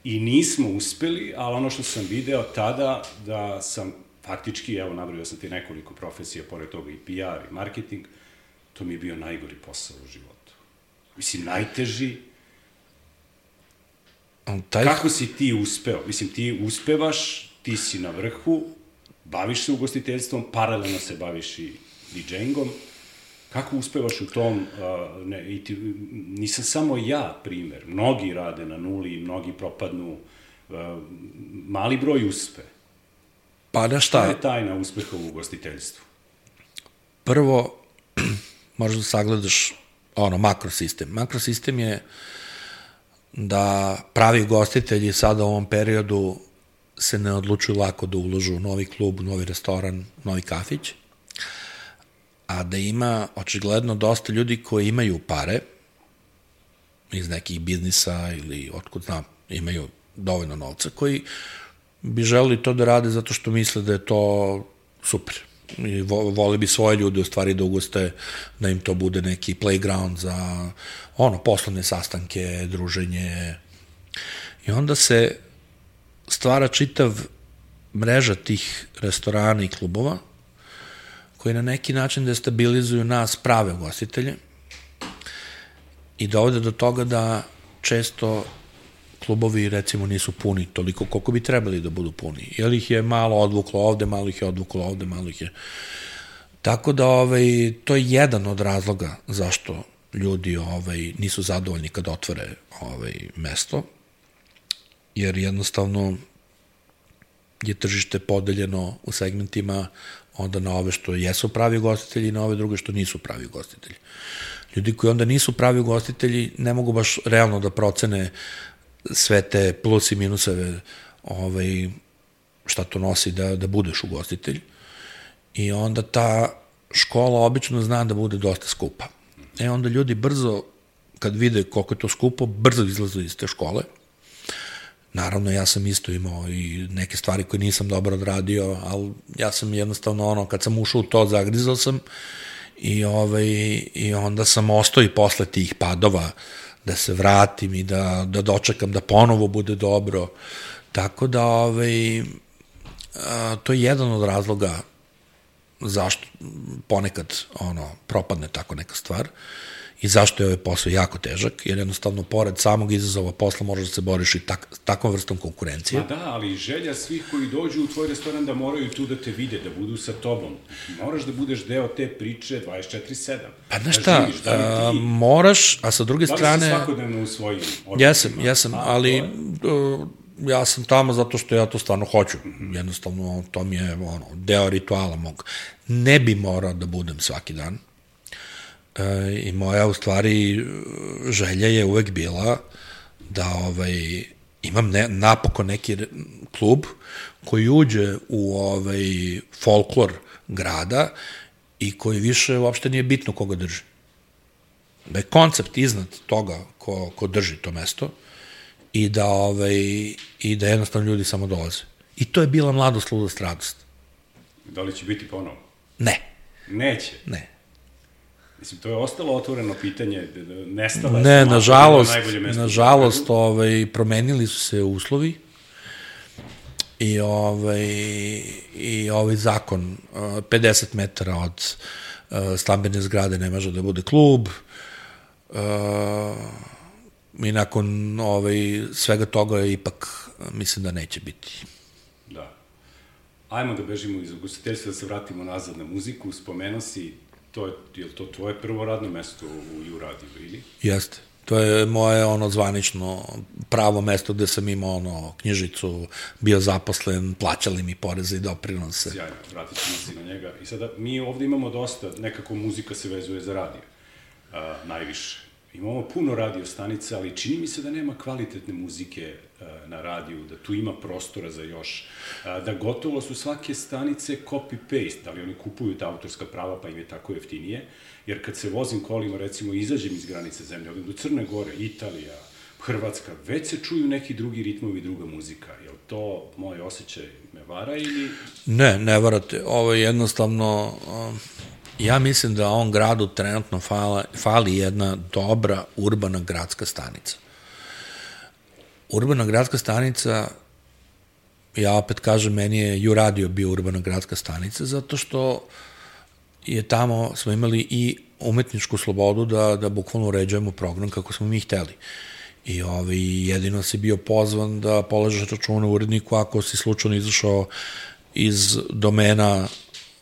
S2: I nismo uspeli, ali ono što sam video tada, da sam faktički, evo, nabrojao sam ti nekoliko profesija, pored toga i pe er i marketing, to mi je bio najgori posao u životu. Mislim, najteži. Taj... Kako si ti uspeo? Mislim, ti uspevaš, ti si na vrhu, baviš se ugostiteljstvom, paralelno se baviš i didžejingom. Kako uspevaš u tom, uh, ne, i ti, nisam samo ja primer, mnogi rade na nuli, mnogi propadnu, uh, mali broj uspe.
S3: Pa da šta?
S2: Šta je tajna uspeha u ugostiteljstvu?
S3: Prvo, možeš da sagledaš ono, makrosistem. Makrosistem je da pravi ugostitelji sada u ovom periodu se ne odlučuju lako da uložu u novi klub, novi restoran, novi kafić, a da ima očigledno dosta ljudi koji imaju pare iz nekih biznisa ili otkud znam, imaju dovoljno novca, koji bi želeli to da rade zato što misle da je to super. I vole bi svoje ljude u stvari da ugoste, da im to bude neki playground za ono, poslovne sastanke, druženje. I onda se stvara čitav mreža tih restorana i klubova koji na neki način destabilizuju nas prave ugostitelje i dovode do toga da često klubovi recimo nisu puni toliko koliko bi trebali da budu puni. Jer ih je malo odvuklo ovde, malo ih je odvuklo ovde, malo ih je... Tako da ovaj, to je jedan od razloga zašto ljudi ovaj, nisu zadovoljni kad otvore ovaj, mesto, jer jednostavno je tržište podeljeno u segmentima onda na ove što jesu pravi ugostitelji i na ove druge što nisu pravi ugostitelji. Ljudi koji onda nisu pravi ugostitelji ne mogu baš realno da procene sve te plus i minuseve ovaj, šta to nosi da, da budeš ugostitelj. I onda ta škola obično zna da bude dosta skupa. E onda ljudi brzo, kad vide koliko je to skupo, brzo izlaze iz te škole. Naravno, ja sam isto imao i neke stvari koje nisam dobro odradio, ali ja sam jednostavno ono, kad sam ušao u to, zagrizao sam i, ovaj, i onda sam ostao i posle tih padova da se vratim i da, da dočekam da ponovo bude dobro. Tako da ovaj, a, to je jedan od razloga zašto ponekad ono, propadne tako neka stvar. i zašto je ovaj posao jako težak, jer jednostavno pored samog izazova posla možeš da se boriš i tak, takvom vrstom konkurencije.
S2: Ma da, ali želja svih koji dođu u tvoj restoran da moraju tu da te vide, da budu sa tobom. Moraš da budeš deo te priče dvadeset četiri sedam.
S3: Pa znaš šta,
S2: živiš, da
S3: a,
S2: ti,
S3: moraš, a sa druge strane...
S2: Da li si svakodnevno u svojim odnosima?
S3: Jesam, jesam, ali uh, ja sam tamo zato što ja to stvarno hoću. Jednostavno, to mi je ono, deo rituala mog. Ne bi morao da budem svaki dan. E, I moja, u stvari, želja je uvek bila da ovaj, imam ne, napokon neki klub koji uđe u ovaj, folklor grada i koji više uopšte nije bitno koga drži. Da je koncept iznad toga ko, ko drži to mesto i da, ovaj, i da jednostavno ljudi samo dolaze. I to je bila mladost, ludost, radost.
S2: Da li će biti ponovo?
S3: Ne.
S2: Neće?
S3: Ne.
S2: Mislim, to je ostalo otvoreno pitanje, nestala je...
S3: Ne, nažalost, nažalost, ovaj, promenili su se uslovi i ovaj, i ovaj zakon, pedeset metara od stambene zgrade ne može da bude klub, i nakon ovaj, svega toga ipak mislim da neće biti.
S2: Da. Ajmo da bežimo iz ugostiteljstva, da se vratimo nazad na muziku. Spomenuo si, to je, je li to tvoje prvo radno mesto u U radiju, ili?
S3: Jeste. To je moje ono zvanično pravo mesto gde sam imao ono knjižicu, bio zaposlen, plaćali mi poreze i doprinose.
S2: Sjajno, vratit ćemo se na njega. I sada, mi ovde imamo dosta, nekako muzika se vezuje za radio, a, najviše. Imamo puno radio stanica, ali čini mi se da nema kvalitetne muzike a, na radiju, da tu ima prostora za još, a, da gotovo su svake stanice copy-paste, da li oni kupuju ta autorska prava pa im je tako jeftinije, jer kad se vozim kolima, recimo, izađem iz granice zemlje, odem do Crne Gore, Italija, Hrvatska, već se čuju neki drugi ritmovi i druga muzika. Je li to moj osjećaj me vara ili...
S3: Ne, ne varate. Ovo je jednostavno... Um, ja mislim da ovom gradu trenutno fala, fali jedna dobra urbana gradska stanica. Urbana gradska stanica, ja opet kažem, meni je U radio bio urbana gradska stanica, zato što je tamo, smo imali i umetničku slobodu da, da bukvalno uređujemo program kako smo mi hteli. I ovaj, jedino si bio pozvan da polažeš računa u uredniku ako si slučajno izašao iz domena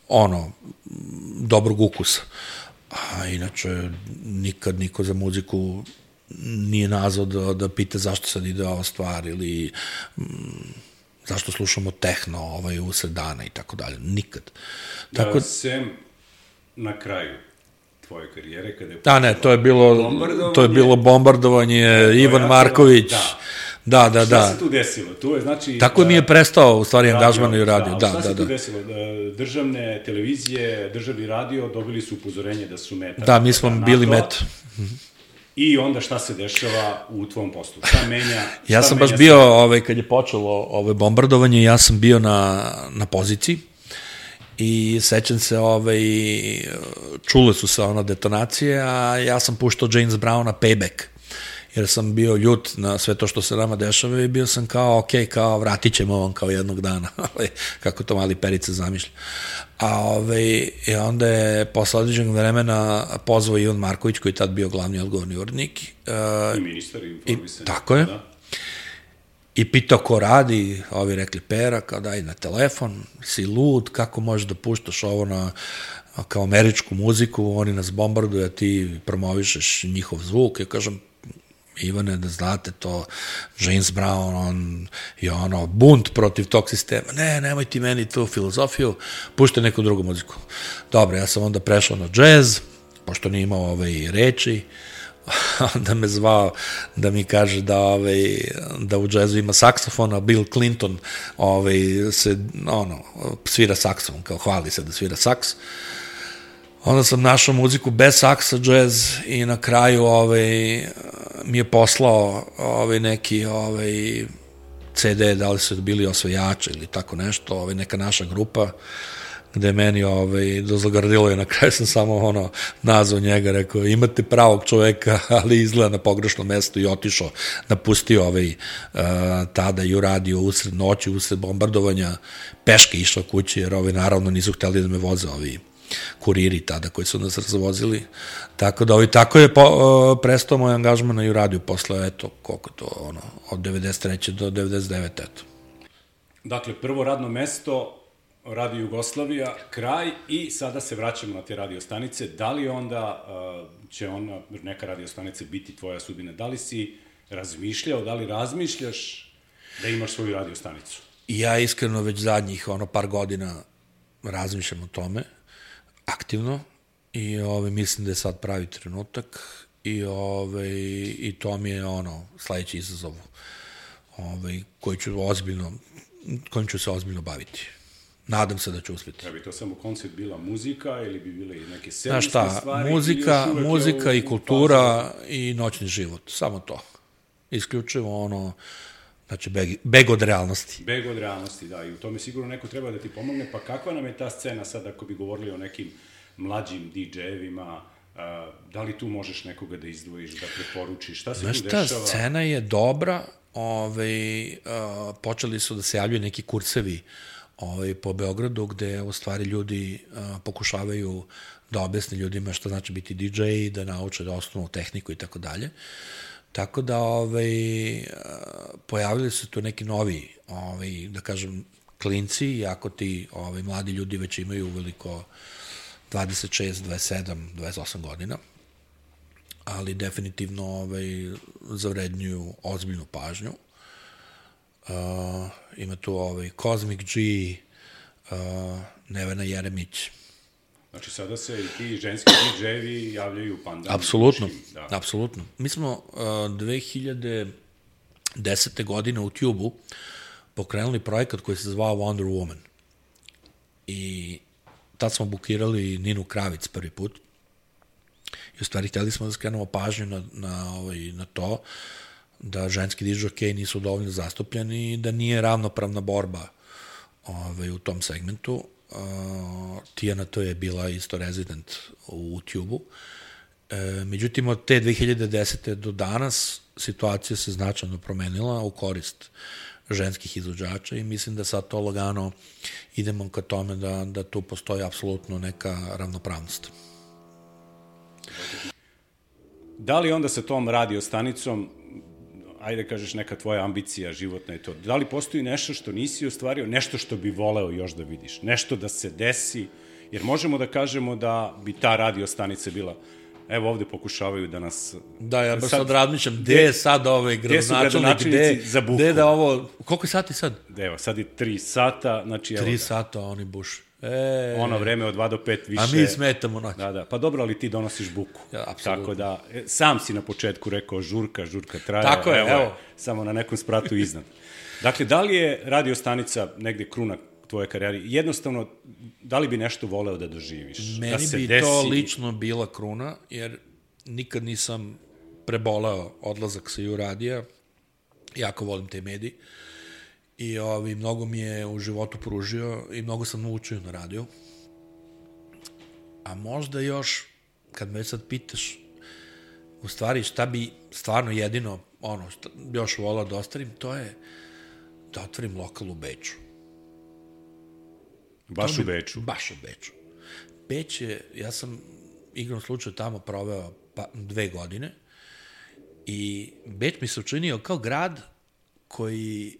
S3: ono, dobrog ukusa. A inače, nikad niko za muziku nije nazvao da, da pita zašto sad ide ova stvar ili m, zašto slušamo tehno ovaj, usred dana i tako dalje. Nikad. Tako...
S2: Da, sem na kraju tvoje karijere, kada je...
S3: Da, ne, to je bilo, to je bilo bombardovanje, da, Ivan Marković. Da. Da, da,
S2: šta
S3: da.
S2: se tu desilo? Tu je, znači...
S3: Tako mi je prestao, u stvari, angažman i radio. Da,
S2: šta
S3: da,
S2: se tu
S3: da.
S2: desilo? Državne televizije, državni radio dobili su upozorenje da su meta.
S3: Da, mi smo bili meta.
S2: I onda šta se dešava u tvom poslu? Šta menja? Šta
S3: ja sam
S2: menja
S3: baš bio, ovaj, kad je počelo ove bombardovanje, ja sam bio na, na poziciji i sećam se, ovaj, čule su se ono detonacije, a ja sam puštao James Browna Payback, jer sam bio ljut na sve to što se nama dešava i bio sam kao, ok, kao vratit ćemo vam kao jednog dana, kako to mali Perica zamišlja. A ovaj, i onda je posle određenog vremena pozvao Ivan Marković, koji je tad bio glavni odgovorni urednik.
S2: Uh, I ministar informisanja.
S3: Tako je.
S2: Da.
S3: I pitao ko radi, ovi rekli Pera, kao daj na telefon, si lud, kako možeš da puštaš ovo na kao američku muziku, oni nas bombarduju, a ti promovišeš njihov zvuk. Ja kažem, Ivane, da znate to, James Brown, on je ono, bunt protiv tog sistema. Ne, nemoj ti meni tu filozofiju, puštaj neku drugu muziku. Dobro, ja sam onda prešao na džez, pošto nije imao ove reči, onda me zvao da mi kaže da, ove, da u džezu ima saksofon, a Bill Clinton ove, se, ono, svira saksofon, kao hvali se da svira saks. Onda sam našao muziku bez saksa, džez, i na kraju ovaj, mi je poslao ovaj, neki ovaj, ce de, da li su bili osvajači ili tako nešto, ovaj, neka naša grupa, gde meni ovaj, dozagradilo je, na kraju sam samo ono, nazvao njega, rekao, imate pravog čoveka, ali izgleda na pogrešnom mestu, i otišao, napustio ovaj, uh, tada i uradio usred noći, usred bombardovanja, peške išao kući, jer ovaj, naravno nisu hteli da me voze ovi kuriri tada koji su nas razvozili. Tako da, ovi, tako je po, uh, prestao moj angažman na Juradiju posle, eto, koliko to, ono, od devedeset treće do devedeset devete eto.
S2: Dakle, prvo radno mesto, Radio Jugoslavija, kraj i sada se vraćamo na te radio stanice. Da li onda uh, će ona, neka radio stanice biti tvoja sudbina? Da li si razmišljao, da li razmišljaš da imaš svoju radio stanicu?
S3: Ja iskreno već zadnjih ono par godina razmišljam o tome, aktivno, i ove, mislim da je sad pravi trenutak i, ove, i to mi je ono sledeći izazov ove, koji ću ozbiljno, kojim ću se ozbiljno baviti. Nadam se da ću uspjeti.
S2: Da bi to samo koncept bila muzika ili bi bile i neke servisne
S3: Znaš šta,
S2: stvari?
S3: Muzika, muzika i kultura i noćni život, samo to. Isključivo ono, znači beg, beg od realnosti.
S2: Beg od realnosti, da, i u tome sigurno neko treba da ti pomogne, pa kakva nam je ta scena sad ako bi govorili o nekim mlađim di džejevima, da li tu možeš nekoga da izdvojiš, da preporučiš, šta se
S3: Znaš
S2: tu dešava?
S3: šta, scena je dobra, ove, a, počeli su da se javljaju neki kursevi ove, po Beogradu, gde u stvari ljudi a, pokušavaju da objasne ljudima šta znači biti di džej, da nauče da osnovnu tehniku i tako dalje. Tako da ovaj, pojavili su tu neki novi, ovaj, da kažem, klinci, iako ti ovaj, mladi ljudi već imaju uveliko dvadeset šest, dvadeset sedam, dvadeset osam godina, ali definitivno ovaj, zavrednjuju ozbiljnu pažnju. Uh, ima tu ovaj, Cosmic G, uh, Nevena Jeremić.
S2: Znači, sada se i ti ženski di džejevi javljaju pandan.
S3: Apsolutno,
S2: da.
S3: apsolutno. Mi smo uh, dve hiljade desete godine u Tube-u pokrenuli projekat koji se zvao Wonder Woman. I tad smo bukirali Ninu Kravic prvi put. I u stvari htjeli smo da skrenemo pažnju na, na, ovaj, na to da ženski dižokeji nisu dovoljno zastupljeni i da nije ravnopravna borba ovaj, u tom segmentu. Uh, Tijana to je bila isto rezident u Tube-u. E, međutim, od te dve hiljade desete do danas situacija se značajno promenila u korist ženskih izvođača i mislim da sad to lagano idemo ka tome da, da tu postoji apsolutno neka ravnopravnost.
S2: Da li onda sa tom radio stanicom, ajde kažeš neka tvoja ambicija životna je to, da li postoji nešto što nisi ostvario, nešto što bi voleo još da vidiš, nešto da se desi, jer možemo da kažemo da bi ta radio stanica bila, evo ovde pokušavaju da nas...
S3: Da, ja baš sad razmišljam, gde je sad ovaj gradonačelnik, gde, gde da ovo... Koliko je sati sad?
S2: Evo, sad je tri sata, znači...
S3: Tri sata, oni buš. E,
S2: ono vreme od dva do pet više...
S3: A mi smetamo noć.
S2: Da, da, pa dobro, ali ti donosiš buku.
S3: Ja, apsolutno.
S2: Tako da, sam si na početku rekao žurka, žurka traje.
S3: Tako je, evo. evo.
S2: Samo na nekom spratu iznad. Dakle, da li je radio stanica negde kruna tvoje karijere? Jednostavno, da li bi nešto voleo da doživiš?
S3: Meni
S2: da se
S3: bi
S2: desi...
S3: to lično bila kruna, jer nikad nisam preboleo odlazak sa Juradija. Jako volim te mediji. I ovi, mnogo mi je u životu pružio i mnogo sam naučio na radiju. A možda još, kad me sad pitaš, u stvari šta bi stvarno jedino, ono, šta još volao da ostavim, to je da otvorim lokal u Beču.
S2: Baš
S3: bi,
S2: u Beču?
S3: Baš u Beču. Beć je, ja sam igrom slučaju tamo proveo pa, dve godine i Beč mi se učinio kao grad koji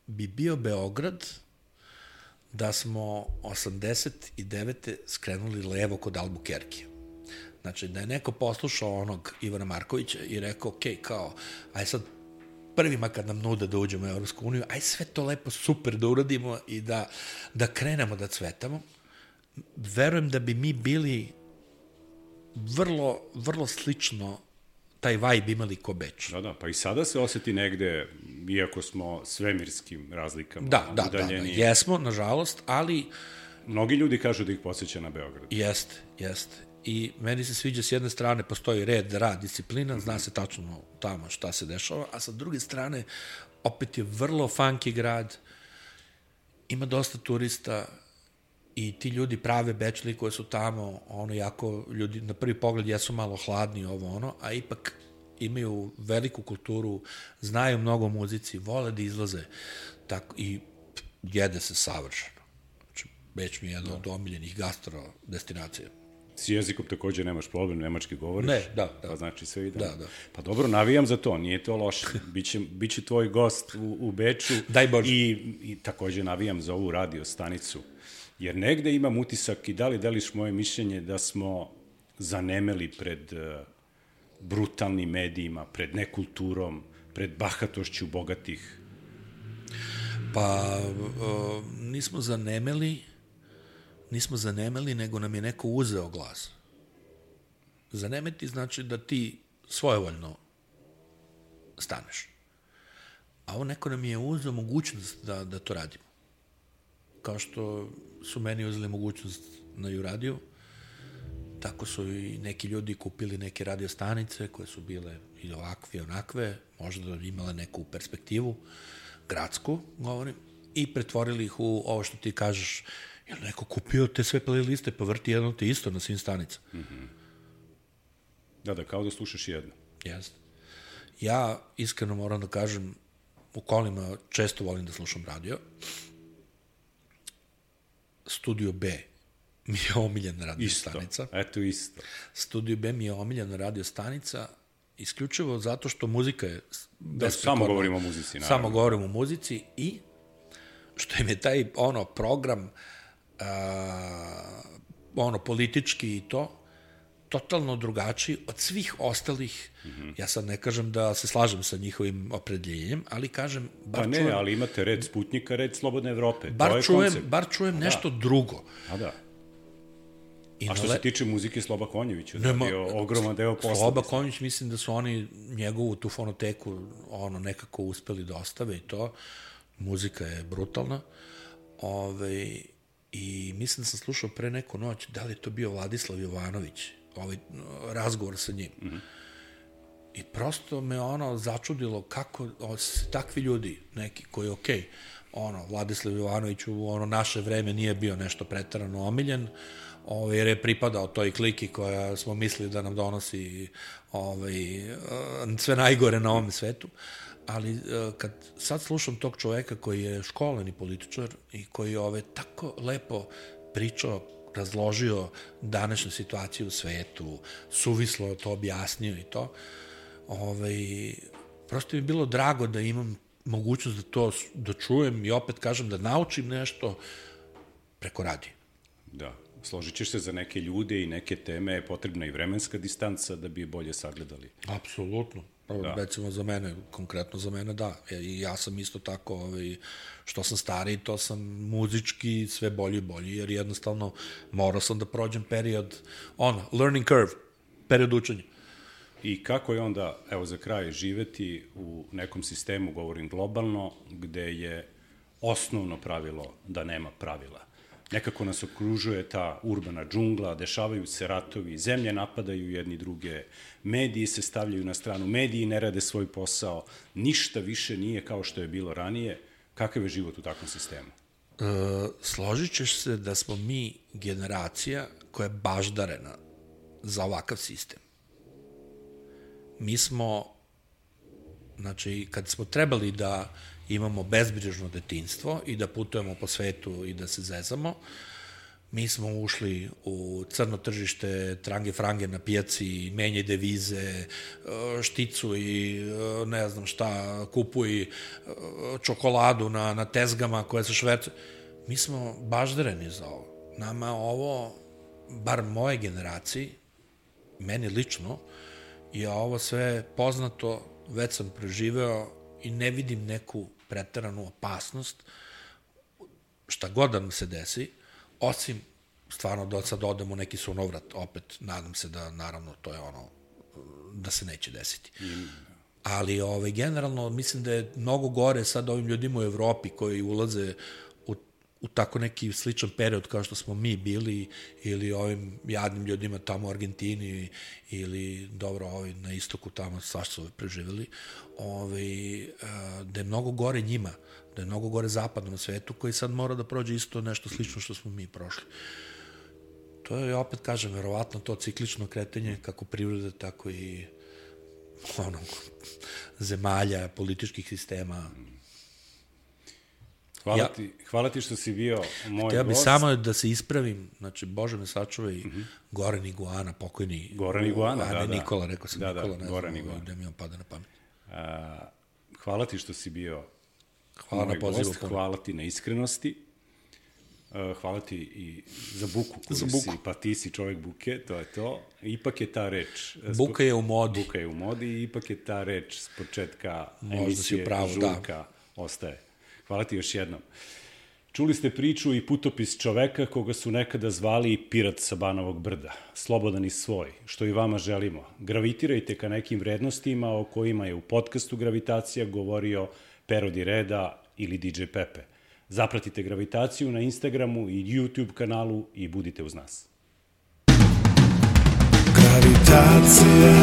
S3: bi bio Beograd da smo osamdeset devete skrenuli levo kod Albuquerque. Znači, da je neko poslušao onog Ivana Markovića i rekao, ok, kao, aj sad prvima kad nam nude da uđemo u Evropsku uniju, aj sve to lepo super da uradimo i da, da krenemo da cvetamo, verujem da bi mi bili vrlo, vrlo slično taj vibe imali ko Beč.
S2: Da, da, pa i sada se oseti negde, iako smo svemirskim razlikama
S3: da, da,
S2: udaljeni.
S3: Da, da, jesmo, nažalost, ali...
S2: Mnogi ljudi kažu da ih podsjeća na Beograd.
S3: Jeste, jeste. I meni se sviđa s jedne strane postoji red, rad, disciplina, zna se tačno tamo šta se dešava, a sa druge strane opet je vrlo funky grad, ima dosta turista i ti ljudi prave Bečli koji su tamo, ono jako, ljudi na prvi pogled jesu malo hladni ovo ono, a ipak imaju veliku kulturu, znaju mnogo muzici, vole da izlaze tako, i jede se savršeno. Znači, Beč mi je jedna od omiljenih gastro destinacija.
S2: S jezikom takođe nemaš problem, nemački govoriš?
S3: Ne, da, da.
S2: Pa znači sve ide.
S3: Da, da.
S2: Pa dobro, navijam za to, nije to loše. Biće, biće tvoj gost u, u Beču.
S3: Daj Bože.
S2: I, I takođe navijam za ovu radio stanicu. Jer negde imam utisak, i da li deliš moje mišljenje, da smo zanemeli pred uh, brutalnim medijima, pred nekulturom, pred bahatošću bogatih.
S3: Pa uh, nismo zanemeli, nismo zanemeli, nego nam je neko uzeo glas. Zanemeti znači da ti svojevoljno staneš. A ovo neko nam je uzeo mogućnost da, da to radimo. Kao što su meni uzeli mogućnost na Juradiju, tako su i neki ljudi kupili neke radio stanice koje su bile i ovakve i onakve, možda da imale neku perspektivu, gradsku, govorim, i pretvorili ih u ovo što ti kažeš, jel neko kupio te sve playliste, pa vrti jedno te isto na svim stanicama.
S2: Mm-hmm. Da, da, kao da slušaš jedno.
S3: Jeste. Ja iskreno moram da kažem, u kolima često volim da slušam radio. Studio B mi je omiljena radio
S2: isto.
S3: stanica.
S2: Eto isto.
S3: Studio B mi je omiljena radio stanica, isključivo zato što muzika je
S2: da, samo govorimo o muzici, naravno.
S3: Samo govorimo o muzici i što im je taj ono program a, ono politički i to totalno drugačiji od svih ostalih. Mm-hmm. Ja sad ne kažem da se slažem sa njihovim opredeljenjem, ali kažem bar
S2: pa ne,
S3: čujem,
S2: ali imate red Sputnika, red Slobodne Evrope.
S3: Bar
S2: to je
S3: čujem,
S2: koncept.
S3: bar čujem nešto da. drugo.
S2: A da.
S3: I
S2: A što
S3: le...
S2: se tiče muzike, Sloba Konjević je bio ogroman deo posla.
S3: Sloba Konjević, mislim da su oni njegovu tu fonoteku ono, nekako uspeli da ostave i to. Muzika je brutalna. Ove, I mislim da sam slušao pre neku noć, da li je to bio Vladislav Jovanović, ovaj razgovor sa njim. Mm-hmm. I prosto me ono začudilo kako o, takvi ljudi, neki koji, okej, okay, ono, Vladislav Jovanović u ono naše vreme nije bio nešto pretarano omiljen, ovaj, jer je pripadao toj kliki koja smo mislili da nam donosi ovaj, sve najgore na ovom svetu, ali kad sad slušam tog čoveka koji je školeni političar i koji je ovaj, tako lepo pričao, razložio današnju situaciju u svetu, suvislo to objasnio i to, ovaj, prosto mi je bilo drago da imam mogućnost da to da čujem i opet kažem da naučim nešto preko radija.
S2: Da, složit ćeš se za neke ljude i neke teme je potrebna i vremenska distanca da bi je bolje sagledali.
S3: Apsolutno. Da. Recimo za mene, konkretno za mene, da. I ja sam isto tako, ovaj, što sam stariji, to sam muzički sve bolji i bolji, jer jednostavno morao sam da prođem period, ono, learning curve, period učenja.
S2: I kako je onda, evo za kraj, živeti u nekom sistemu, govorim globalno, gde je osnovno pravilo da nema pravila. Nekako nas okružuje ta urbana džungla, dešavaju se ratovi, zemlje napadaju jedni druge, mediji se stavljaju na stranu, mediji ne rade svoj posao, ništa više nije kao što je bilo ranije. Kakav je život u takvom sistemu?
S3: E, složit ćeš se da smo mi generacija koja je baždarena za ovakav sistem. Mi smo, znači, kad smo trebali da imamo bezbrižno detinjstvo i da putujemo po svetu i da se zezamo, mi smo ušli u crno tržište, trange frange na pijaci, menjaj devize, šticu i ne znam šta, kupuj čokoladu na, na tezgama koje se švercu. Mi smo baždareni za ovo. Nama ovo, bar moje generaciji, meni lično, je ovo sve poznato, već sam preživeo i ne vidim neku preteranu opasnost, šta god da nam se desi, osim stvarno da sad odemo u neki sunovrat, opet nadam se da naravno to je ono, da se neće desiti. Ali ovaj, generalno mislim da je mnogo gore sad ovim ljudima u Evropi koji ulaze u, u tako neki sličan period kao što smo mi bili ili ovim jadnim ljudima tamo u Argentini ili dobro ovi na istoku tamo svašta su preživjeli, ovaj, da je mnogo gore njima, da je mnogo gore zapadnom svetu koji sad mora da prođe isto nešto slično što smo mi prošli. To je, opet kažem, verovatno to ciklično kretanje kako privrede, tako i ono, zemalja, političkih sistema.
S2: Hvala,
S3: Ja-
S2: ti, hvala ti što si bio moj
S3: Htio bi
S2: gost.
S3: samo da se ispravim, znači, Bože me sačuva i Goran Iguana, pokojni.
S2: Goran Iguana,
S3: a ne
S2: da, da.
S3: Nikola, rekao sam
S2: Da, da,
S3: Nikola, ne
S2: Goran
S3: znam
S2: Iguana.
S3: da mi on pada na pamet.
S2: A, hvala ti što si bio
S3: Hvala
S2: moj
S3: na pozivu.
S2: gost, hvala ti na iskrenosti. Uh, hvala ti i za buku koju
S3: Za buku.
S2: si, pa ti si čovjek buke, to je to. Ipak je ta reč. uh,
S3: Buka je u modi.
S2: Buka je u modi i ipak je ta reč s početka
S3: Možda si
S2: emisije
S3: u pravu, da.
S2: Žurka ostaje. Hvala ti još jednom. Čuli ste priču i putopis čoveka koga su nekada zvali pirat sa Banovog brda, slobodan i svoj, što i vama želimo. Gravitirajte ka nekim vrednostima o kojima je u podcastu Gravitacija govorio Pero Di Reda ili D J Pepe. Zapratite Gravitaciju na Instagramu i YouTube kanalu i budite uz nas.
S1: Gravitacija,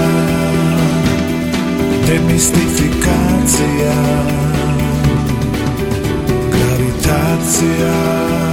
S1: demistifikacija. Gravitacija.